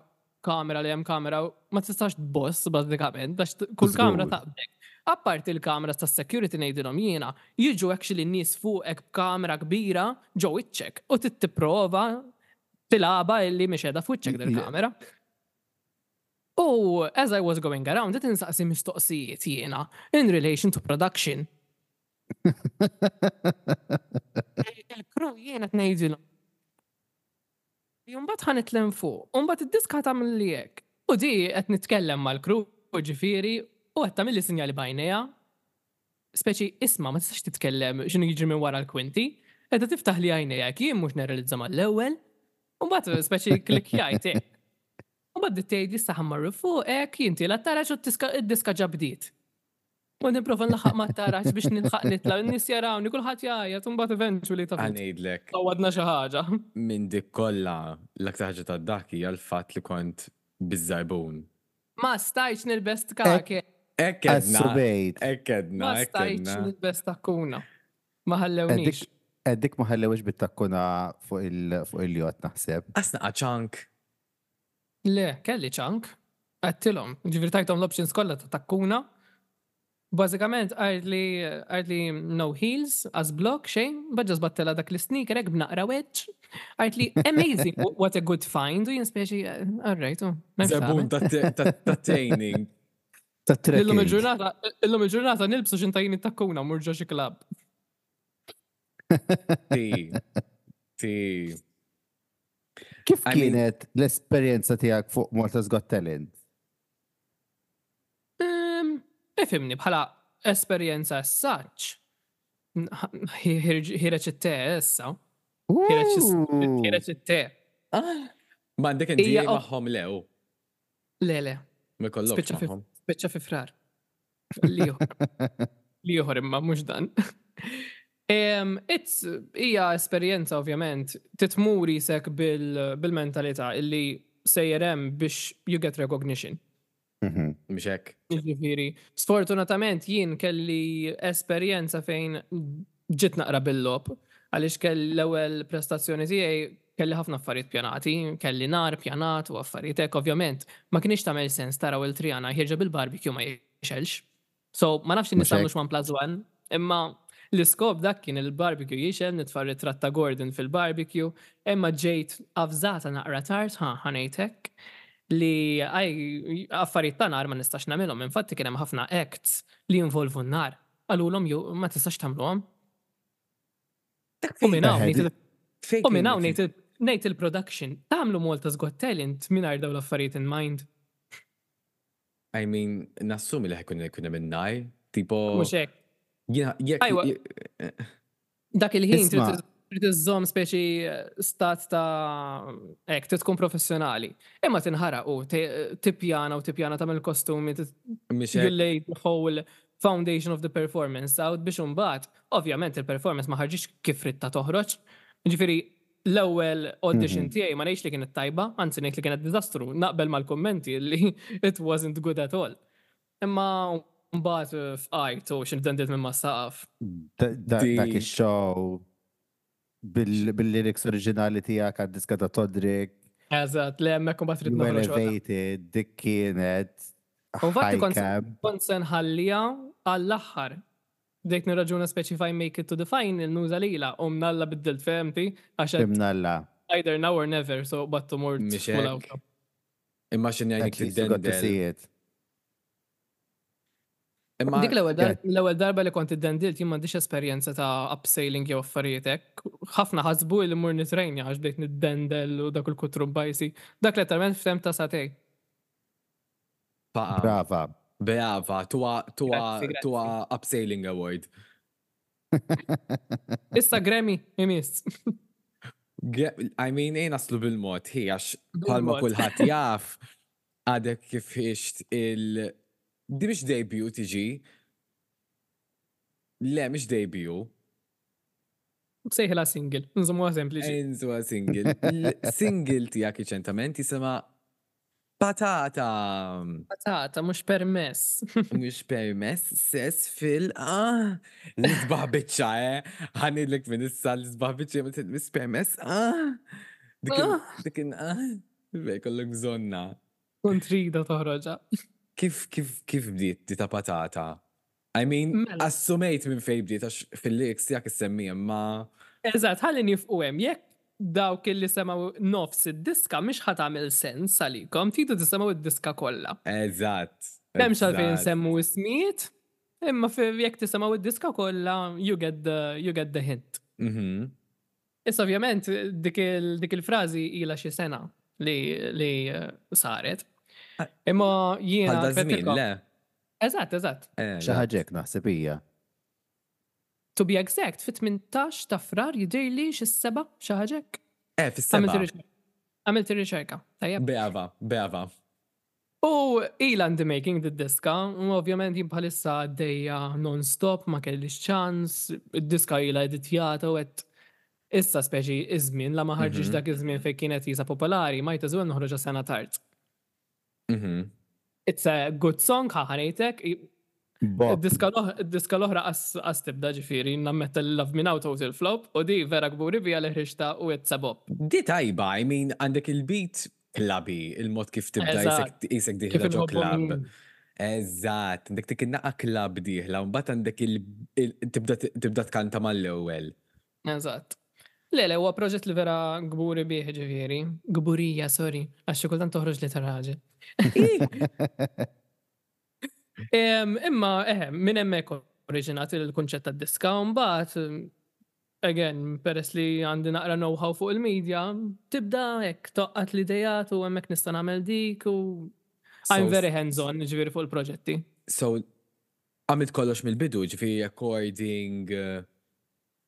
kamera li hemm kamera u ma tistax tboss bażikament, għax t- kull kamera
Żgur.
taqbdek. Apparti il-kamera tas security ngħidilhom jiena, jiġu actually n-nies fuqek b'kamera kbira ġo wiċċek u titipprova tilgħabha illi mhix qiegħda f'wiċċek dil-kamera. U as I was going around, qed insaqsi mistoqsijiet jiena in relation to production. Il-crew jiena qed ngħidilhom. Imbagħad ħa nitlem fuq, u mbagħad id-diska tagħmel li hekk. U di qed nitkellem mal-crew, ġifieri, u qed tagħmel li sinjali b'għajnejha. Speċi isma' ma tistax titkellem x'inhu jiġri minn wara l-kwinti, qiegħda tiftaħ li għajnejha jien mhux nirrealizza mal-ewwel. U mbagħad speċi klikjajt hekk. U mbagħad tgħid issa ħa mmorru fuq hekk, jien tiela taraġ u d-diska ġabdiet. U nipprova nlaħħaq ma taraġ biex nilħaq nitla' n-nies jarawni kulħadd jgħajjat u mbagħad eventually ta'
Ħa ngħidlek,
għawadna xi ħaġa.
minn dik kollha l-aktar ħaġa ta' dak hija l-fatt li kont biż-żarbun.
Ma stajtx nilbes kake.
Hekk għedna.
Assubejt.
Hekk għedna,
Ma
hekk
stajtx
għedna.
nilbes takkuna. Ma ħallewniex.
Dik ma ħallewx bit-takkuna fuq il- fuq il-jott naħseb.
Asna ċank.
Le, kelli ċank. Għedtilhom. Ġifieri tajthom l-options kollha ta' takkuna. Bażikament għajt li għajt li no heels, as block, xejn, baġġa żbattela dak l-sneaker hekk b'naqra wedge. Għajt li amazing, what a good find, u jien speċi, all right, u. m'hemmx
Żarbun
tagħmel.
ta' ta' training.
Ta'
Illum
trekking.
il-ġurnata, illum il-ġurnata nilbsu xintajin it-takkuna mur ġo xi club.
Ti. Ti.
Kif
I mean-
kienet l-esperjenza tiegħek fuq Malta's Got Talent?
Um, Ifhimni, bħala esperjenza as such. Ħireġ it-te issa. Ħireġ it-te.
Ma għandek N D A
Hija op-
magħhom lew.
Le, le,
Ma jkollokx
Spiċċa fi-
magħhom.
spiċċa fi frar. Liħor. Liħor imma mhux dan. Em, It's hija esperjenza ovvjament titmuri sek bil- bil-mentalità illi sejjer hemm biex you get recognition.
Mhm.
Mhux hekk.
Ġifieri, sfortunatament jien kelli esperjenza fejn ġiet naqra bil-lop, għaliex kelli l-ewwel prestazzjoni tiegħi kelli ħafna affarijiet pjanati, kelli nar pjanat u affarijiet hekk ovvjament ma kienx tagħmel sens taraw il-Triana ħierġa bil-barbecue ma jixelx. So ma nafx
Mhux
in-nies għamlux
hekk.
one plus one, imma l-iskop dak kien il-barbecue jixel, nitfa' ritratt ta' Gordon fil-barbecue, imma ġejt avżata naqra tard, ha, ħa ngħid hekk, li għaj affarijiet ta' nar ma nistax nagħmilhom. Infatti kien hemm ħafna acts li jinvolvu n-nar. Qalulhom ju ma tistax tagħmluhom. U minn hawn
Eħe,
ngħid il-
Fejn
u minn hawn
kienet?
ngħid il- ngħid il-production. Tagħmlu Malta's Got Talent mingħajr dawn l-affarijiet in mind.
I mean, nassumi li ħa jkun jkun hemm in-nar. Tipo.
Mhux hekk.
Jiena jekk.
Ajwa.
je-
Dak il-ħin trid
Isma'.
trid iżżomm speċi stat ta' hekk, trid tkun professjonali. Imma tinħaraq u te- tippjana u tippjana tagħmel kostumi, tit-
Mhux
you
hekk.
lay the whole foundation of the performance out biex imbagħad, ovvjament il-performance ma ħarġitx kif ridtha toħroġ. Ġifieri l-ewwel audition
Mhm.
tiegħi ma ngħidx li kienet tajba, anzi ngħid li kienet diżastru, naqbel mal-kummenti li it wasn't good at all. Imma mbagħad fqajt u xi dendit minn mas-saqaf.
Da- da- Dak
Di-
ix-show bil- bil-lyrics oriġinali tiegħek għad-diska ta' Todrick,
Eżatt, le hemmhekk imbagħad trid
You
noħroġ waħda.
Elevated, dik kienet
U infatti
high
kont
camp.
kont se nħallija għall-aħħar. Bdejt nirraġuna speċi if I make it to the final nuża lila u mnalla biddilt fehmti għax
Imnalla.
either now or never, so battu mort
Mhux
full
hekk.
out.
Imma x'inhi
At
għajnik
least you got to
tiddendel.
see it.
Imma
Dik l-ewwel dar-
Yeah.
l-ewwel darba li kont iddendilt jien m'għandix esperjenza ta' abseiling jew affarijiet hekk. Ħafna ħasbu li mmur nitrejnja għax bdejt niddendel u dak il-kutru bajsi. Dak letteralment f'temp ta' sagħtejn.
Faqa.
Brava.
Brava, tuha tuha
Grazzi, grazzi.
tuha abseiling award.
Issa Grammy, imiss.
Ge- I mean, ejja naslu bil-mod, hi, għax bħalma
Bil-mod.
kulħadd jaf, għadek kif ħriġt il- Di mhix debut tiġi. Le, mhix debut.
Sejħilha single, nżommuha sempliċi.
Enzuha single. Il-single tiegħek riċentement jisimha Patata.
Patata, mhux permess.
Mhux permess, sess fil- ah, l-isbaħ biċċa, eh? Ħa ngħidlek minn issa l-isbaħ biċċa, ma mhux permess, ah. Dik il-
Ah.
dik il- ah, bej, kollok bżonna.
Kont rida toħroġha.
Kif, kif, kif bdiet di ta' patata? I mean,
Mela.
assumejt minn fej bdiet, għax fil-lyrics tiegħek issemmi, ma.
Eżatt, ħalli nieqfu hemm, jekk dawk li semgħu nofs id-diska mhix ħa tagħmel sens għalikom, tridu tisimgħu id-diska kollha.
Eżatt.
M'hemmx għalfejn
eżatt.
nsemmu ismijiet, imma fi- jekk tisimgħu id-diska kollha, you get the, you get the hint.
Mhm.
Issa ovvjament dik il- dik il-frażi ilha xi sena li, li eh, saret.
Ah,
Imma jiena.
Għal da żmien,
kif
le?
Eżatt, eżatt.
Eh,
Xi ħaġa hekk naħseb hija.
To be exact, fit-tmintax ta' Frar jidhirli xi seba' xi ħaġa hekk.
Eh,
Għamilt
fis-seba.
ir-riċerka. Għamilt ir-riċerka, tajjeb.
Brava, brava.
U ila in the making di diska, u ovvjament jien bħalissa għaddejja non-stop, ma kellix ċans, id-diska ila editjata u għedt issa speċi iż-żmien, la ma ħarġix
Mhm.
dak iż-żmien fejn kienet jisa popolari, ma jtażu noħroġha sena tard.
Mhm.
It's a good song, ħa ngħidlek.
Bop.
Id-diska l-oħ- id-diska l-oħra qas qas tibda ġifieri, nammetta Love Me Now total flop, u di vera kburi bija li ħriġta u it's a bop.
Di tajba, I mean, għandek il-beat clubby, il-mod kif tibda
Eżatt.
jisek jisek
Kif
dieħla ġo
inħobbu
club.
min.
Eżatt, għandek dik in-naqa club dieħla, u mbagħad għandek il- il- tibda tibda tkanta mal-ewwel.
Eżatt. Le, le, huwa proġett li vera kburi bih ġifieri. Kburija, sorry, għax xi kultant toħroġ li ta' raġel. Em, Imma, eħe, minn hemmhekk oriġinat il-kunċett tad-diska, u mbagħad, again, peress li għandi naqra know-how fuq il-media, tibda hekk toqqat l-idejat u hemmhekk nista' nagħmel dik u I'm
So-
very hands-on ġifieri fuq il-proġetti.
So, għamilt kollox mill-bidu, ġifieri recording,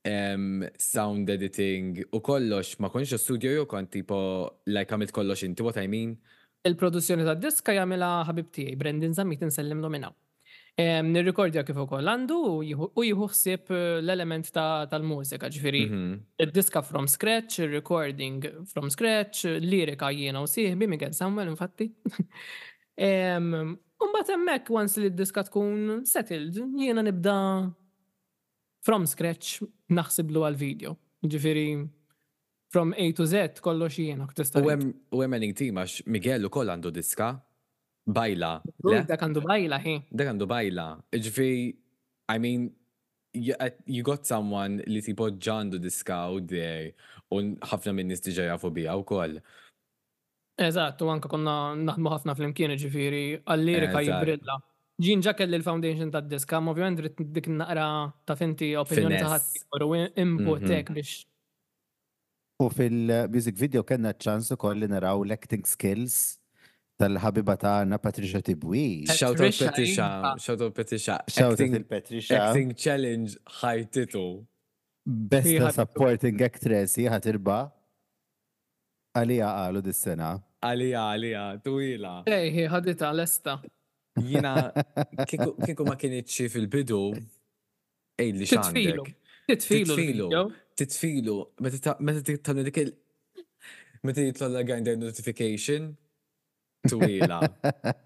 um, sound editing u kollox, ma kontx studio jew kont tipo, like għamilt kollox inti, what I mean?
Il-produzzjoni tad-diska jagħmilha ħabib tiegħi, Brendan Zammit insellimlu minn hawn. Em, Nirrikordja kif ukoll għandu u jieħu u jieħu ħsieb eh, l-element ta' tal-mużika, ġifieri
Mhm.
id-diska from scratch, il-recording from scratch, lirika jiena u sieħbi Miguel Samuel infatti. Em, U mbagħad hemmhekk once li d-diska tkun settled, jiena nibda from scratch naħsiblu għal-video. Ġifieri from A to Z kollox jiena tista'
U hemm u hemm ending team għax Miguel ukoll għandu diska. Bajla. Le?
Dak għandu bajla hi.
Dak għandu bajla. Ġifieri, I mean, you, you got someone li tipo ġa għandu diska out there u ħafna minn nies diġà jafu biha wkoll.
Eżatt, u anka konna naħdmu ħafna flimkien, ġifieri, għal-lirika
Eżatt.
jibrilla. Jien ġa kelli l-foundation tad-diska, ma ovvjament rrid dik naqra ta' finti opinjoni ta'
Finesse.
ħadd u input
Mhm.
hekk biex
U fil-music video kellna ċans ukoll li naraw l-acting skills tal-ħabiba tagħna Patricia Tibwi.
Shout out
Patricia,
Patricia,
iva.
shout out Patricia.
Shout out
Acting,
il-Patricia.
acting challenge ħajtitu.
Best
Hi ħabitu.
supporting actress hi ħa tirbaħ. Għalija qalu dis-sena.
Għalija, għalija, twila.
Ej, hi ħaditha lesta.
Jiena, kieku kieku ma kinitx fil-bidu, għidli
Titfilu.
x'għandek.
Titfilu
Titfilu.
l-video.
Titfilu, meta ta- meta tagħmel dik il- meta jitlolla Grindr notification, twila.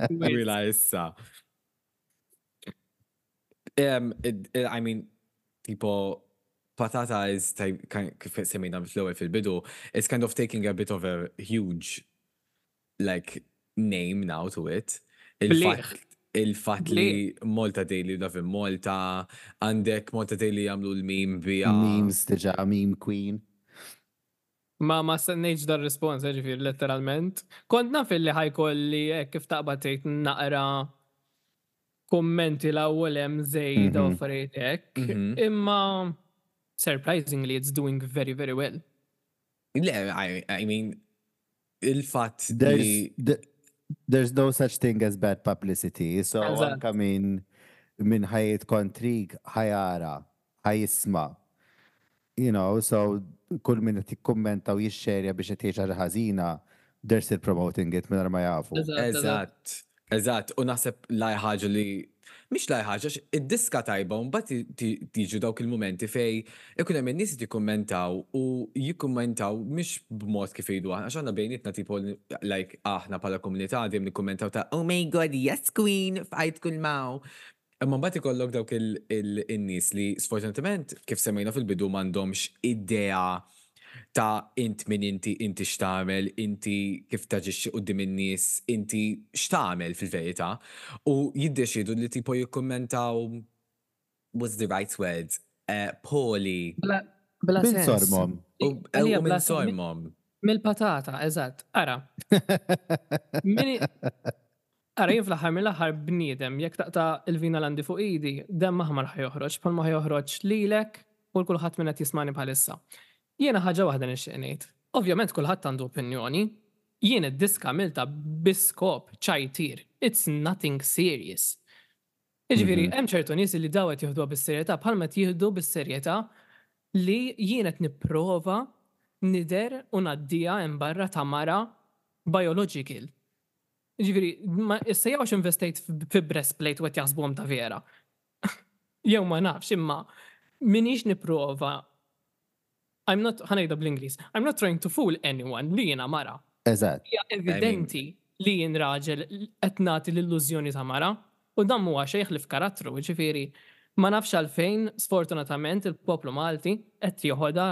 Twila issa. Um, it, it, I mean, tipo, Patata is type, kind, kif semmejna fl-ewwel fil-bidu, it's kind of taking a bit of a huge, like, name now to it. Il-fatt il-fatt li Malta Daily Love in Malta, għandek Malta Daily jagħmlu l-meme bija.
Memes diġà, meme queen.
Ma ma stennejtx dar respons, ġifieri letteralment. Kont naf illi ħa jkolli hekk kif taqbad tgħid naqra kummenti l-ewwel hemm żejda u
Mhm.
affarijiet hekk.
Mhm.
Imma surprisingly it's doing very very well.
Le, I, I mean, il-fatt
There's
li
th- there's no such thing as bad publicity. So
Eżatt.
anka min min ħa jgħid kontrik ħa jara, ħa jisma'. You know, so kull min qed jikkummenta u jixxerja biex qed jgħid ħaġa ħażina, they're still promoting it mingħajr ma jafu.
Eżatt, eżatt.
Eżatt, eżatt, u naħseb l-agħar ħaġa li mhix l-agħar ħaġa, għax id-diska tajba, u mbagħad ti- tiġu dawk il-momenti fej ikun hemm in-nies li jikkummentaw u jikkummentaw mhix b'mod kif jgħidu aħna, għax aħna bejnietna tipo like aħna bħala komunità dejjem nikkummentaw ta' "Oh my God, yes queen, fajt kull maw." Imma mbagħad ikollok dawk il- il- in-nies li sfortunatament kif semmejna fil-bidu m'għandhomx idea ta' int min inti, inti x'tagħmel, inti kif taġixxi quddiem in-nies, inti x'tagħmel fil-verità. U jiddeċidu li tipo jikkummentaw, what's the right word? Uh, poorly.
Bla bla
Min
sens.
sormhom.
U
Għalija
u
bla
minn
sen-
sormhom.
Mill-patata, eżatt. Ara, Mini Ara, jien fl-aħħar mill-aħħar bniedem, jekk taqta' il-vina l-għandi fuq idi, demm aħmar ħa joħroġ, bħalma ħa joħroġ lilek u l-kulħadd minn qed jismani bħalissa. Jiena ħaġa waħda nixtieq ngħid. Ovvjament kulħadd għandu opinjoni. Jien id-diska għamiltha bi skop ċajtir. It's nothing serious. Jiġifieri,
Mhm.
hemm ċertu nies li daw qed jieħduha bis-serjetà bħalma qed jieħdu bis-serjetà li jien qed nipprova nidher u ngħaddiha hemm barra ta' mara biological. Ġifieri, ma issa jew għax investejt fi breastplate u qed jaħsbuhom ta' vera. Jew ma nafx, imma minix nipprova, I'm not, ħa ngħidha bl-Ingliż, I'm not trying to fool anyone li jiena mara.
Eżatt.
Hija evidenti li jien raġel qed nagħti l-illużjoni ta' mara u dan huwa xejn li f'karattru, ġifieri ma nafx għalfejn sfortunatament il-poplu Malti qed joħodha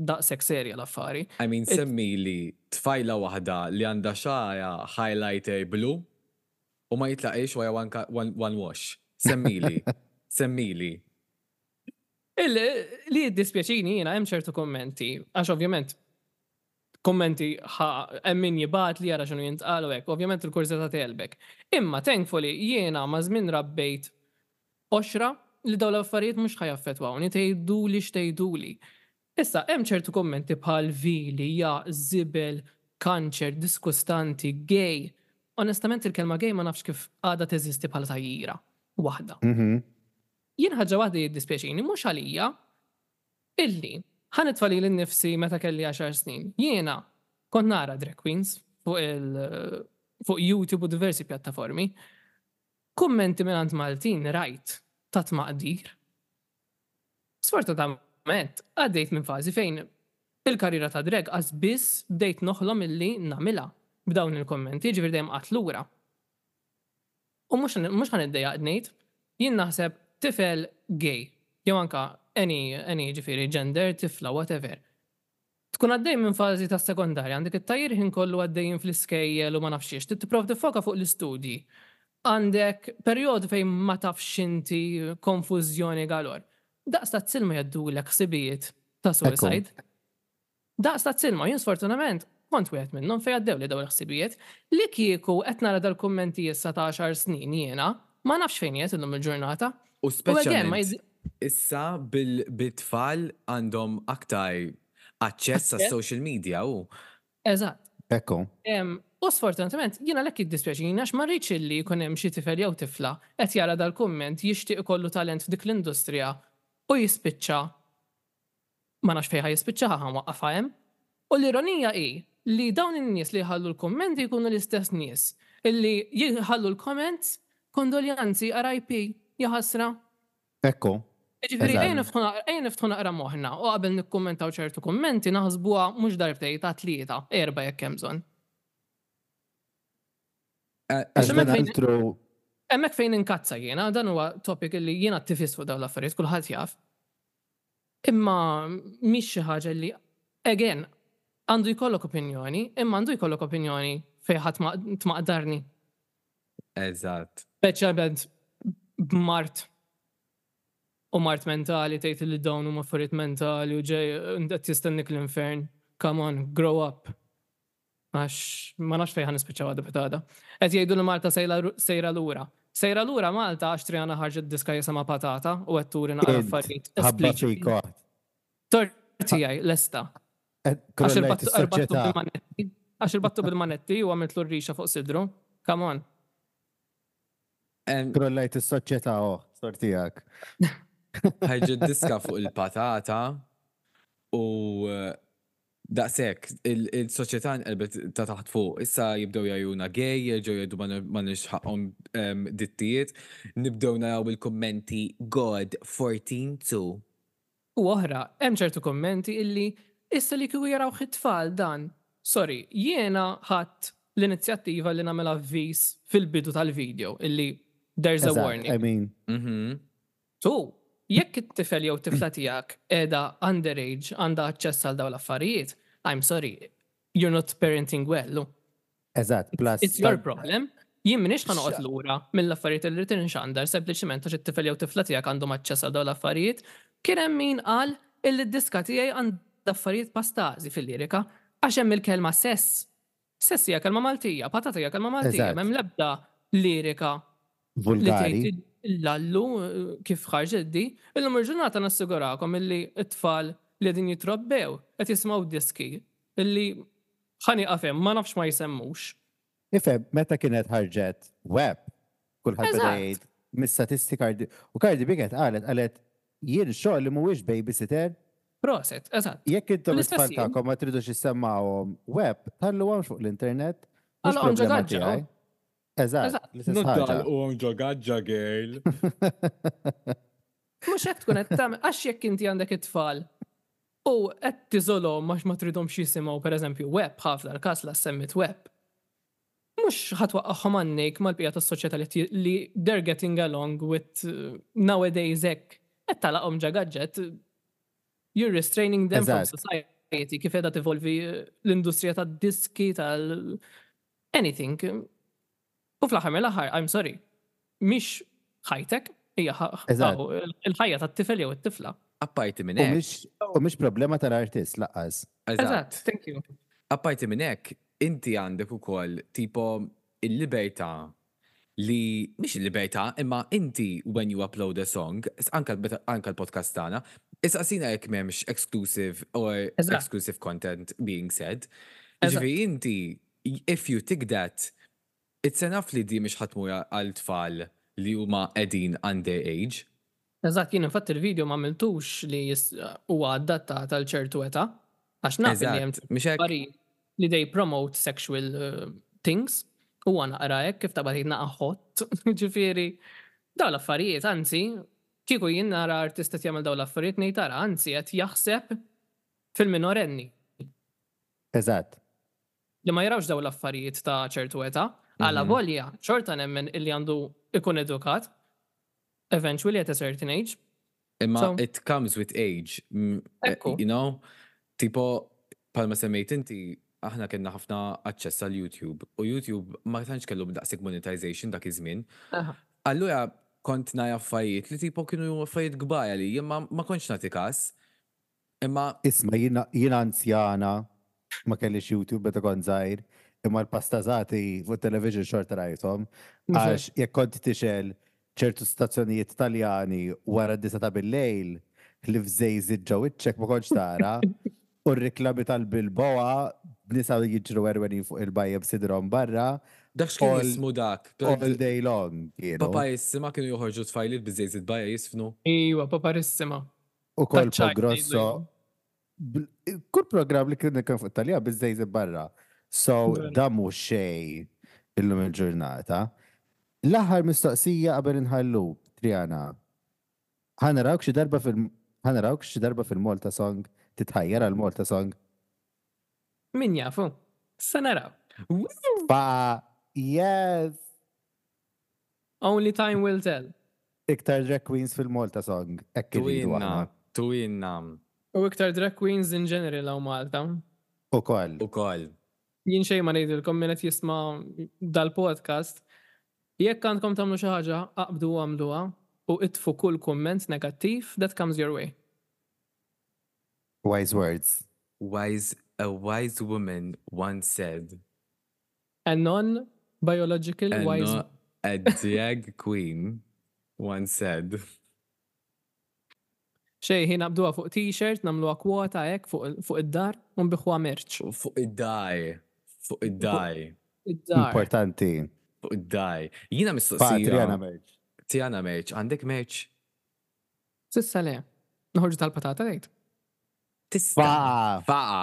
daqshekk serja l-affari.
I mean,
It-
semmi li tfajla waħda li għandha xagħarha highlighter blu u ma jitlaqix wara one, ka- one, one wash. Semmili. Semmili.
Il- Li jiddispjaċini jiena hemm ċertu kommenti, għax ovvjament kommenti ħa hemm min jibgħat li jara x'inhu jintqal u hekk, ovvjament il-kurżità tegħlbek. Imma thankfully jiena ma' żmien rabbejt qoxra li dawn l-affarijiet mhux ħa jaffettwawni, tgħiduli x'tgħiduli. Issa hemm ċertu kommenti bħal vili, ja, żibel, kanċer, diskustanti, gay. Onestament il-kelma gay ma nafx kif għadha teżisti bħala tgħajjira waħda.
Mhm.
Jien ħaġa waħda jiddispjaċini mhux għalija illi ħa nitfa' lili nnifsi meta kelli għaxar snin. Jiena kont nara drag queens fuq il fuq YouTube u diversi pjattaformi. Kummenti minn Maltin rajt ta' tmaqdir. Sfortunatament, għaddejt minn fażi fejn il-karriera ta' drag għax biss bdejt noħlom illi nagħmilha b'dawn il-kommenti, ġifieri dejjem qatt lura. U mhux mhux ħa niddejjaq ngħid, jien naħseb tifel gay, jew anka any, any ġifieri gender, tifla, whatever. Tkun għaddej minn fażi ta' sekondarja, għandek it-tgħajjir ħin kollu għaddejjin fl-iskejjel u ma nafx xiex, tipprova tiffoka fuq l-istudji. Għandek perjodu fejn ma tafx inti, konfużjoni galore. Daqs ta' silma jgħaddulek ħsibijiet ta' suicide. Daqs ta' silma, jien sfortunament kont wieħed minnhom fejn għaddew li dawn il-ħsibijiet li kieku qed nara dal-kummenti issa ta' għaxar snin jiena, ma nafx fejn qiegħed illum il-ġurnata.
U
U again, ma
speċjalment
jizzi-
issa bil-tfal għandhom aktar aċċess għas
Aċċess.
social media u
Eżatt.
Ekku.
Em, U sfortunatament, jiena lek jiddispjaċini għax ma rridx illi jkun hemm xi tifel jew tifla qed jara dal-kumment jixtieq ikollu talent f'dik l-industrija u jispiċċa ma nafx fejn ħa jispiċċa ħa nwaqqafha hemm. U l-ironija hi li dawn in-nies li jħallu l-kummenti jkunu l-istess nies illi jħallu l-comments kondoljanzi R I P jaħasra.
Ekku.
Ġifieri,
Eżatt.
ejja niftħu naqra- ejja niftħu naqra moħħna u qabel nikkummentaw ċertu kummenti naħsbuha mhux darbtejn, ta' tlieta, erba' jekk hemm bżonn.
Eh,
Għax
hemmhekk
dan
fejn-
altru
Hemmhekk fejn inkazza jiena, dan huwa topic li jiena attivist fuq dawn l-affarijiet, kulħadd jaf. Imma mhix xi ħaġa li, again, għandu jkollok opinjoni, imma għandu jkollok opinjoni fejn ħadd ma- tmaqdarni.
Eżatt.
Speċjalment b'mard u mard mentali tgħid li dawn huma affarijiet mentali u ġej qed jistennik l-infern. Come on, grow up. Għax ma nafx fejn ħa nispiċċaw għada pitgħada. Qed jgħidu li Malta sejla- sejra lura. Sejra lura Malta għax Triana ħarġet diska jisimha Patata u qed turi naqra
Int,
affarijiet
Ħabba
espliċiti.
fik oħt.
Tort tiegħi lesta. Għax
Krollajt
irbattu irbattu
is-soċjetà.
bil-manetti. Għax irbattu bil-manetti u għamiltlu r-rixa fuq sidru. Come on.
Em,
Krollajt is-soċjetà oħt, tort tiegħek.
ħarġet diska fuq il-patata u eh, daqshekk il-soċjetà nqelbet ta' taħt fuq. Issa jibdew jgħajruna gay, jerġgħu jgħidu ma nix ħaqhom em, drittijiet, nibdew naraw il-kummenti God fourteen two.
U oħra, hemm ċertu kommenti illi issa li kieku jaraw it-tfal dan. Sorry, jiena ħadd l-inizjattiva li nagħmel avviż fil-bidu tal-video illi there's a
Eżatt,
warning.
I mean,
Mhm.
Tu, jekk it-tifel jew tifla tiegħek qiegħda underage, għandha aċċess għal dawn l-affarijiet, I'm sorry, you're not parenting well.
Eżatt, plus.
It's your problem. Jien m'iniex ħa noqgħod lura mill-affarijiet li rrid inxandar sempliċement għax it-tifel jew tifla tiegħek għandhom aċċess għal dawn l-affarijiet. Kien hemm min qal illi d-diska tiegħi għandha affarijiet pastażi fil-lirika għax hemm il-kelma sess. Sess hija kelma Maltija, patata hija kelma Maltija,
Eżatt.
m'hemm l-ebda lirika li
Vulgari.
tgħid l-allu eh, kif ħarġet di, illum il-ġurnata nassigurakom illi t-tfal li qegħdin jitrobbew qed jisimgħu diski illi ħa nieqaf hemm, ma nafx ma jsemmux.
Ifhem, meta kienet ħarġet WAP, kulħadd beda
Eżatt.
jgħid mis-statisti Cardi u Cardi B kienet qalet qalet jien xogħol li mhuwiex babysitter,
Prosit, eżatt.
Jekk intom
L-istess
it-tfal
jien.
tagħkom ma tridux issemmawhom WAP, tħalluhomx fuq l-internet, mhux
Għalqhom ġo
problema
gaġġa.
tiegħi. Eżatt,
Eżatt.
l-istess ħaġa.
U ġo gaġġa, girl.
Mhux hekk tkun qed tagħmel, għax jekk inti għandek it-tfal u qed tiżolhom għax ma tridhomx jisimgħu, pereżempju, WAP, ħafna l-każ la semmit WAP. Mhux ħa twaqqagħhom għannejk mal-bqija tas-soċjetà li ti- li they're getting along with uh, nowadays hekk. Qed tagħlaqhom ġo gaġġa. You're restraining them from
Eżatt.
society, kif qiegħda tevolvi uh, l-industrija tad-diski, tal anything. U fl-aħħar mill-aħħar, I'm sorry, mhix ħajtek, hija ħ-
Eżatt.
aw, il-ħajja tat-tifel jew it-tifla.
Apparti minn
U
hekk.
mhix u mhix problema tal-artist lanqas.
Eżatt, thank you.
Apparti minn hekk, inti għandek ukoll tipo il-libertà li mhix il-libertà, imma inti when you upload a song, anka meta- anka l-podcast tagħna, issaqsina jekk m'hemmx exclusive or
Eżatt.
exclusive content being said.
Eżatt.
Ġifieri inti, if you tick that, it's enough li di mhix ħa tmur għal tfal li huma qegħdin underage.
Eżatt, jien infatti il-video ma għamiltux li jis- huwa adattat għal ċertu età, għax naf li hemm
Eżatt, mhux hekk?
affarijiet li they promote sexual uh, things u għana naqra hekk kif ta' naqa hot, ġifieri dawn l-affarijiet, anzi, kieku jien nara artist qed jagħmel dawn l-affarijiet, ngħid tara, anzi qed jaħseb fil-minorenni
Eżatt.
li ma jarawx dawn l-affarijiet ta' ċertu età, għala
Mhm.
volja, xorta nemmen illi għandu ikun edukat, eventually at a certain age.
Imma
So-
it comes with age, mm, eh,
Ekku.
you know? Tipo, bħalma semmejt inti, aħna kellna ħafna aċċess għal YouTube u YouTube ma tantx kellu daqshekk monetization dak iż-żmien.
Aha.
Allura kont nara affarijiet li tipo kienu affarijiet kbar għalija, imma ma kontx nagħti każ. Imma
Isma' jiena jiena anzjana, ma kellix YouTube meta kont żgħir, imma l-pastazati fuq television xorta rajthom, għax jekk kont tixgħel ċertu stazzjonijiet Taljani wara d-disgħa ta' bil-lejl li fżejżit ġo wiċċek ma kontx tara, u r-riklami tal-Bilboa nisa jiġru għerwenin fuq il-bajja b'sidrom barra
dak x'kien
All-
jismu dak?
all day long kienu.
Paparissima kienu joħorġu tfajliet biżejżit bajja jisfnu.
Iwa, Paparissima.
U Colpo
Taċ-ċajt
Grosso.
ngħidlu.
bl- Kull program li kien kien fuq Talja biżejżit barra. So
Vera.
da mhux xejn illum il-ġurnata. L-aħħar mistoqsija qabel inħallu, Triana. Ħa narawk xi darba fil ħa narawk xi darba fil-Malta Song, titħajjar għal Malta Song?
Min jafu? Sa naraw.
Fa yes!
Only time will tell.
Iktar drag queens fil-Malta Song. Hekk irridu
Twinna,
aħna.
twinna.
U iktar drag queens in general hawn Malta.
Ukoll.
Ukoll.
Jien xejn ma ngħidilkom min qed jisma' dal-podcast. Jekk għandkom tagħmlu xi ħaġa, aqbdu u għamluha u itfu kull kumment negattiv that comes your way.
Wise words.
Wise A wise woman once said,
A non-biological
and
wise
not a drag queen once said.
Xej, ħin naqbduha fuq t-shirt, nagħmluha kwota hekk fuq fuq id-dar, u nbigħuha merch.
Fuq id-dar. Fuq id-dar.
Id-dar.
Importanti.
Fuq id-dar. Jiena
Pa,
mistoqsija.
Triana merch.
Triana merch. Għandek merch?
S'issa le. Noħorġu tal-patata għejt.
Tista.
Fa,
Faqa.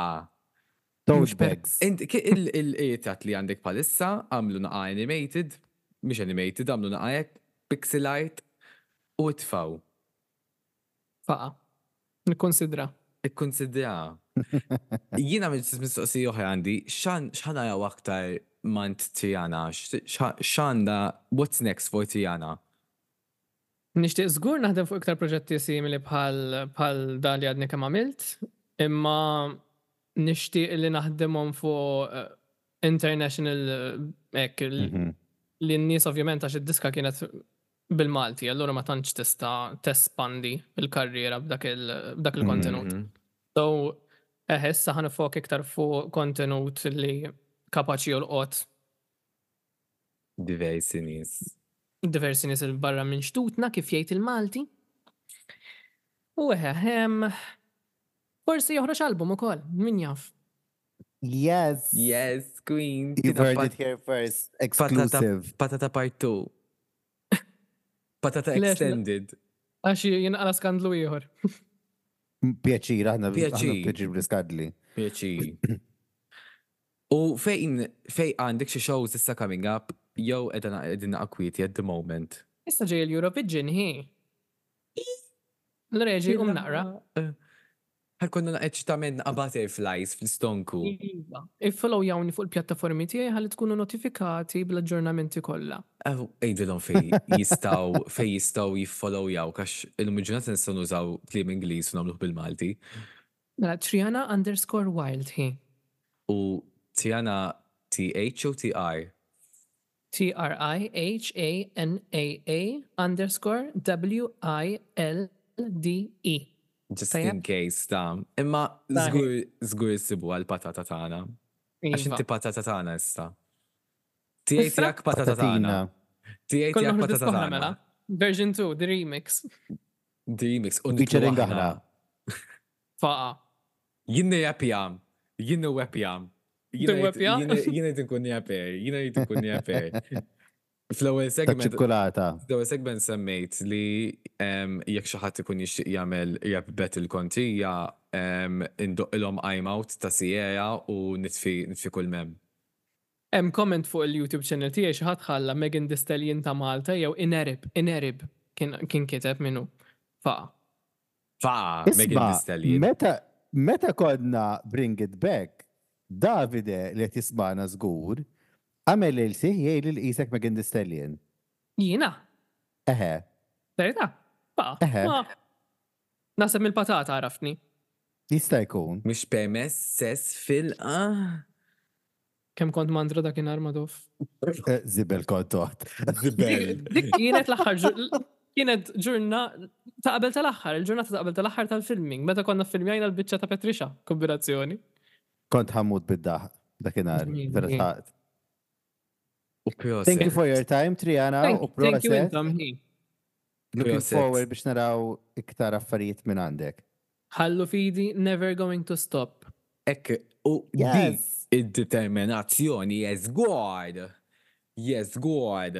tote
Mhux per-
bags.
Int il-ritratt li għandek bħalissa għamlu naqa animated, mhix animated, għamlu naqa hekk, pixel art u itfaw.
Faqa. Nikkonsidra.
Ikkonsidra. Jiena mistoqsija oħra għandi, x'ħa naraw aktar mingħand Triana, x'għandha, what's next for Triana?
Nixtieq żgur naħdem fuq iktar proġetti simili bħal bħal dan li għadni kemm għamilt, imma nixtieq li naħdemhom fuq eh, international eh, hekk il-
Mhm.
li n-nies ovvjament għax id-diska kienet bil-Malti, allura ma tantx tista' tespandi il-karriera b'dak il- b'dak il-kontenut.
Mhm.
So, eh, issa ħa niffoka iktar fuq kontenut li kapaċi jolqot
Diversi nies.
diversi nies il barra minn xtutna kif jgħid il-Malti. U eħe, em, forsi joħroġ album ukoll, min jaf.
Yes.
Yes, queen.
You've
Tina
heard
pat-
it here first.
Patata,
Exclusive.
patata part two. Patata
Lex,
extended.
Għax jinqala skandlu ieħor.
Pjaċir, aħna
Pjaċir.
aħna pjaċir bl-iskandli.
Pjaċir. U fejn fejn għandek xi shows issa coming up, jew qegħdin qegħdin akwieti at the moment.
Issa ġej l-Eurovision hi. Allura jiġi um naqra.
Ħa jkollna eċitament naqa butterflies fl-istonku.
Iva. Iffollowjawni fuq il-pjattaformi tiegħi ħalli tkunu notifikati bl-aġġornamenti kollha.
Ew, Għidilhom fej jistgħu fej jistgħu jiffollowjaw għax illum il-ġurnata nistgħu nużaw kliem Ingliż u nagħmluh bil-Malti.
Mela Triana underscore wild hi.
U Triana T H u T R?
T R I H A N A A underscore W I L D E.
Just
Tajjeb.
in case ta' imma
Sahi.
żgur żgur issibu għal-patata tagħna. Għax
Iva.
inti patata tagħna issa. Tiegħi
Issa?
tiegħek patata tagħna.
Patatina.
Tiegħi
Kollna
tiegħek
noħorġu
patata
diska oħra
tagħna.
mela. Version two, the remix.
The remix. U nitlu
Featuring
aħna.
aħna.
Faqa.
Jien nirrapja. Jien nirrapja.
Tirrapja?
Jien qed inkun rapper. Jien qed inkun rapper. Fl-ewwel
Ta'
segment
ċikkulata.
Fl-ewwel segment semmejt li em, jekk xi ħadd ikun jixtieq jagħmel rap battle kontrija, em, indoqqilhom I'm Out ta' Sierra u nitfi nitfi kull mem.
Hemm comment fuq il-YouTube channel tiegħi, xi ħadd ħalla Megan Thee Stallion ta' Malta jew Inerib, Inerib kien kien kiteb minnu. Faqa.
Fa Megan
Isma,
Thee Stallion.
meta meta konna Bring It Back, Davide li qed jismana żgur, għamel il sih jgħid li qisek Megan Thee Stallion.
Jiena,
Eħe,
verità. Faqa.
Eħe.
Ma naħseb mill-patata għaraftni.
Jista' jkun.
Mhux permess sess fil ah.
Kemm kont mandra dakinhar, Madoff.
Eh, Zibel kont toħt.
Zibel.
Dik kienet l-aħħar ġur- kienet ġurna ta' qabel tal-aħħar, il-ġurnata ta' qabel tal-aħħar tal-filming, meta konna filmjajna l-biċċa ta' Patricia, kombinazzjoni.
Kont ħa mmut bid-daħk dakinhar,
Ġmiel,
vera
ġmiel.
saqt.
U proset.
Thank you for your time, Triana,
Thank
u
thank you
proset.
intom hi.
Looking
Proset.
forward biex naraw iktar affarijiet minn għandek.
Ħallu fidi, never going to stop.
Ekk, u di
Yes!
id-determinazzjoni, yes God. Yes God.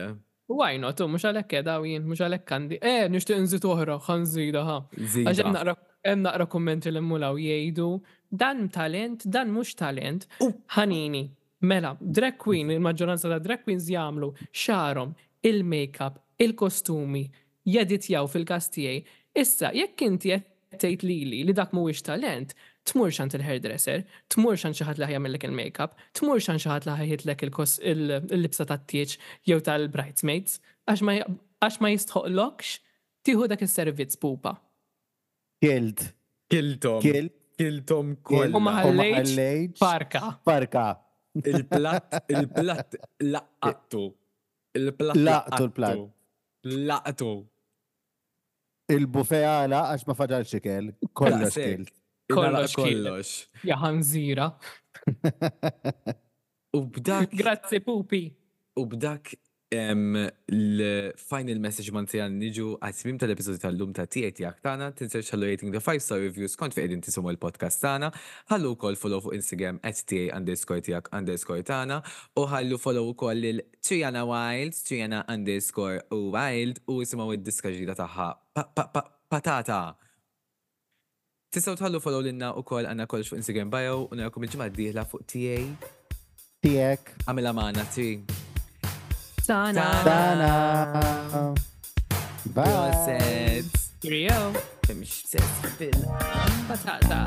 Why not? U mhux għalhekk qiegħda jien, mhux għalhekk għandi. Eh, nixtieq nżid oħra, ħa nżidha ħa. Għax hemm
Zida.
naqra hemm naqra kummenti li mmulaw jgħidu dan talent, dan mhux talent.
U-
Ħanini, mela, drag queen, il-maġġoranza ta' drag queens jagħmlu xagħarhom, il-makeup, il-kostumi, jeditjaw fil-każ tiegħi. Issa, jekk inti qed tgħid lili li dak mhuwiex talent, tmurx għand il-hairdresser, tmurx għand xi ħadd li ħa jagħmellek il-makeup, tmurx għand xi ħadd li ħa jħitlek il-kos- il- il-libsa tat-tieġ jew tal-bridesmaids, għax ma għax ma jistħoqlokx tieħu dak is-servizz, pupa.
Kilt.
Kiltom.
Kilt.
Kiltom
Kilt.
U ma
kollha.
U ma
ħallejtx
ħallejtx.
Farka.
Farka.
Il-platt, il-platt laqattu. Il-platt
Laqtu l-platt.
Laqtu.
Il-buffet għala għax ma fadalx ikel. Kollox
Daqshekk.
kilt.
Kollox kien.
Kollox.
Ja ħanżira.
U b'dak
Grazzi, Pupi.
U b'dak em, l-final message man tijan niġu għat-tmim tal-episodju tal-lum ta' T A Tiegħek Tagħna. Tinsewx ħallu rating the five star reviews kont fejn qegħdin tisimgħu l-podcast tagħna. Ħallu wkoll follow fuq Instagram at T A underscore tiegħek underscore tagħna u ħallu follow ukoll lil Triana Wild, Triana underscore Wild, u isimgħu id-diska ġdida tagħha Pa- pa- pa- Patata. Tistgħu tħallu follow lilna wkoll, għandna kollox fuq Instagram bio, u narakom il-ġimgħa d-dieħla fuq T A
Tiegħek.
Għamilha magħna, Tri.
Tana.
Tana. Bye.
Proset.
Cheerio.
Mhix sess fil
Patata.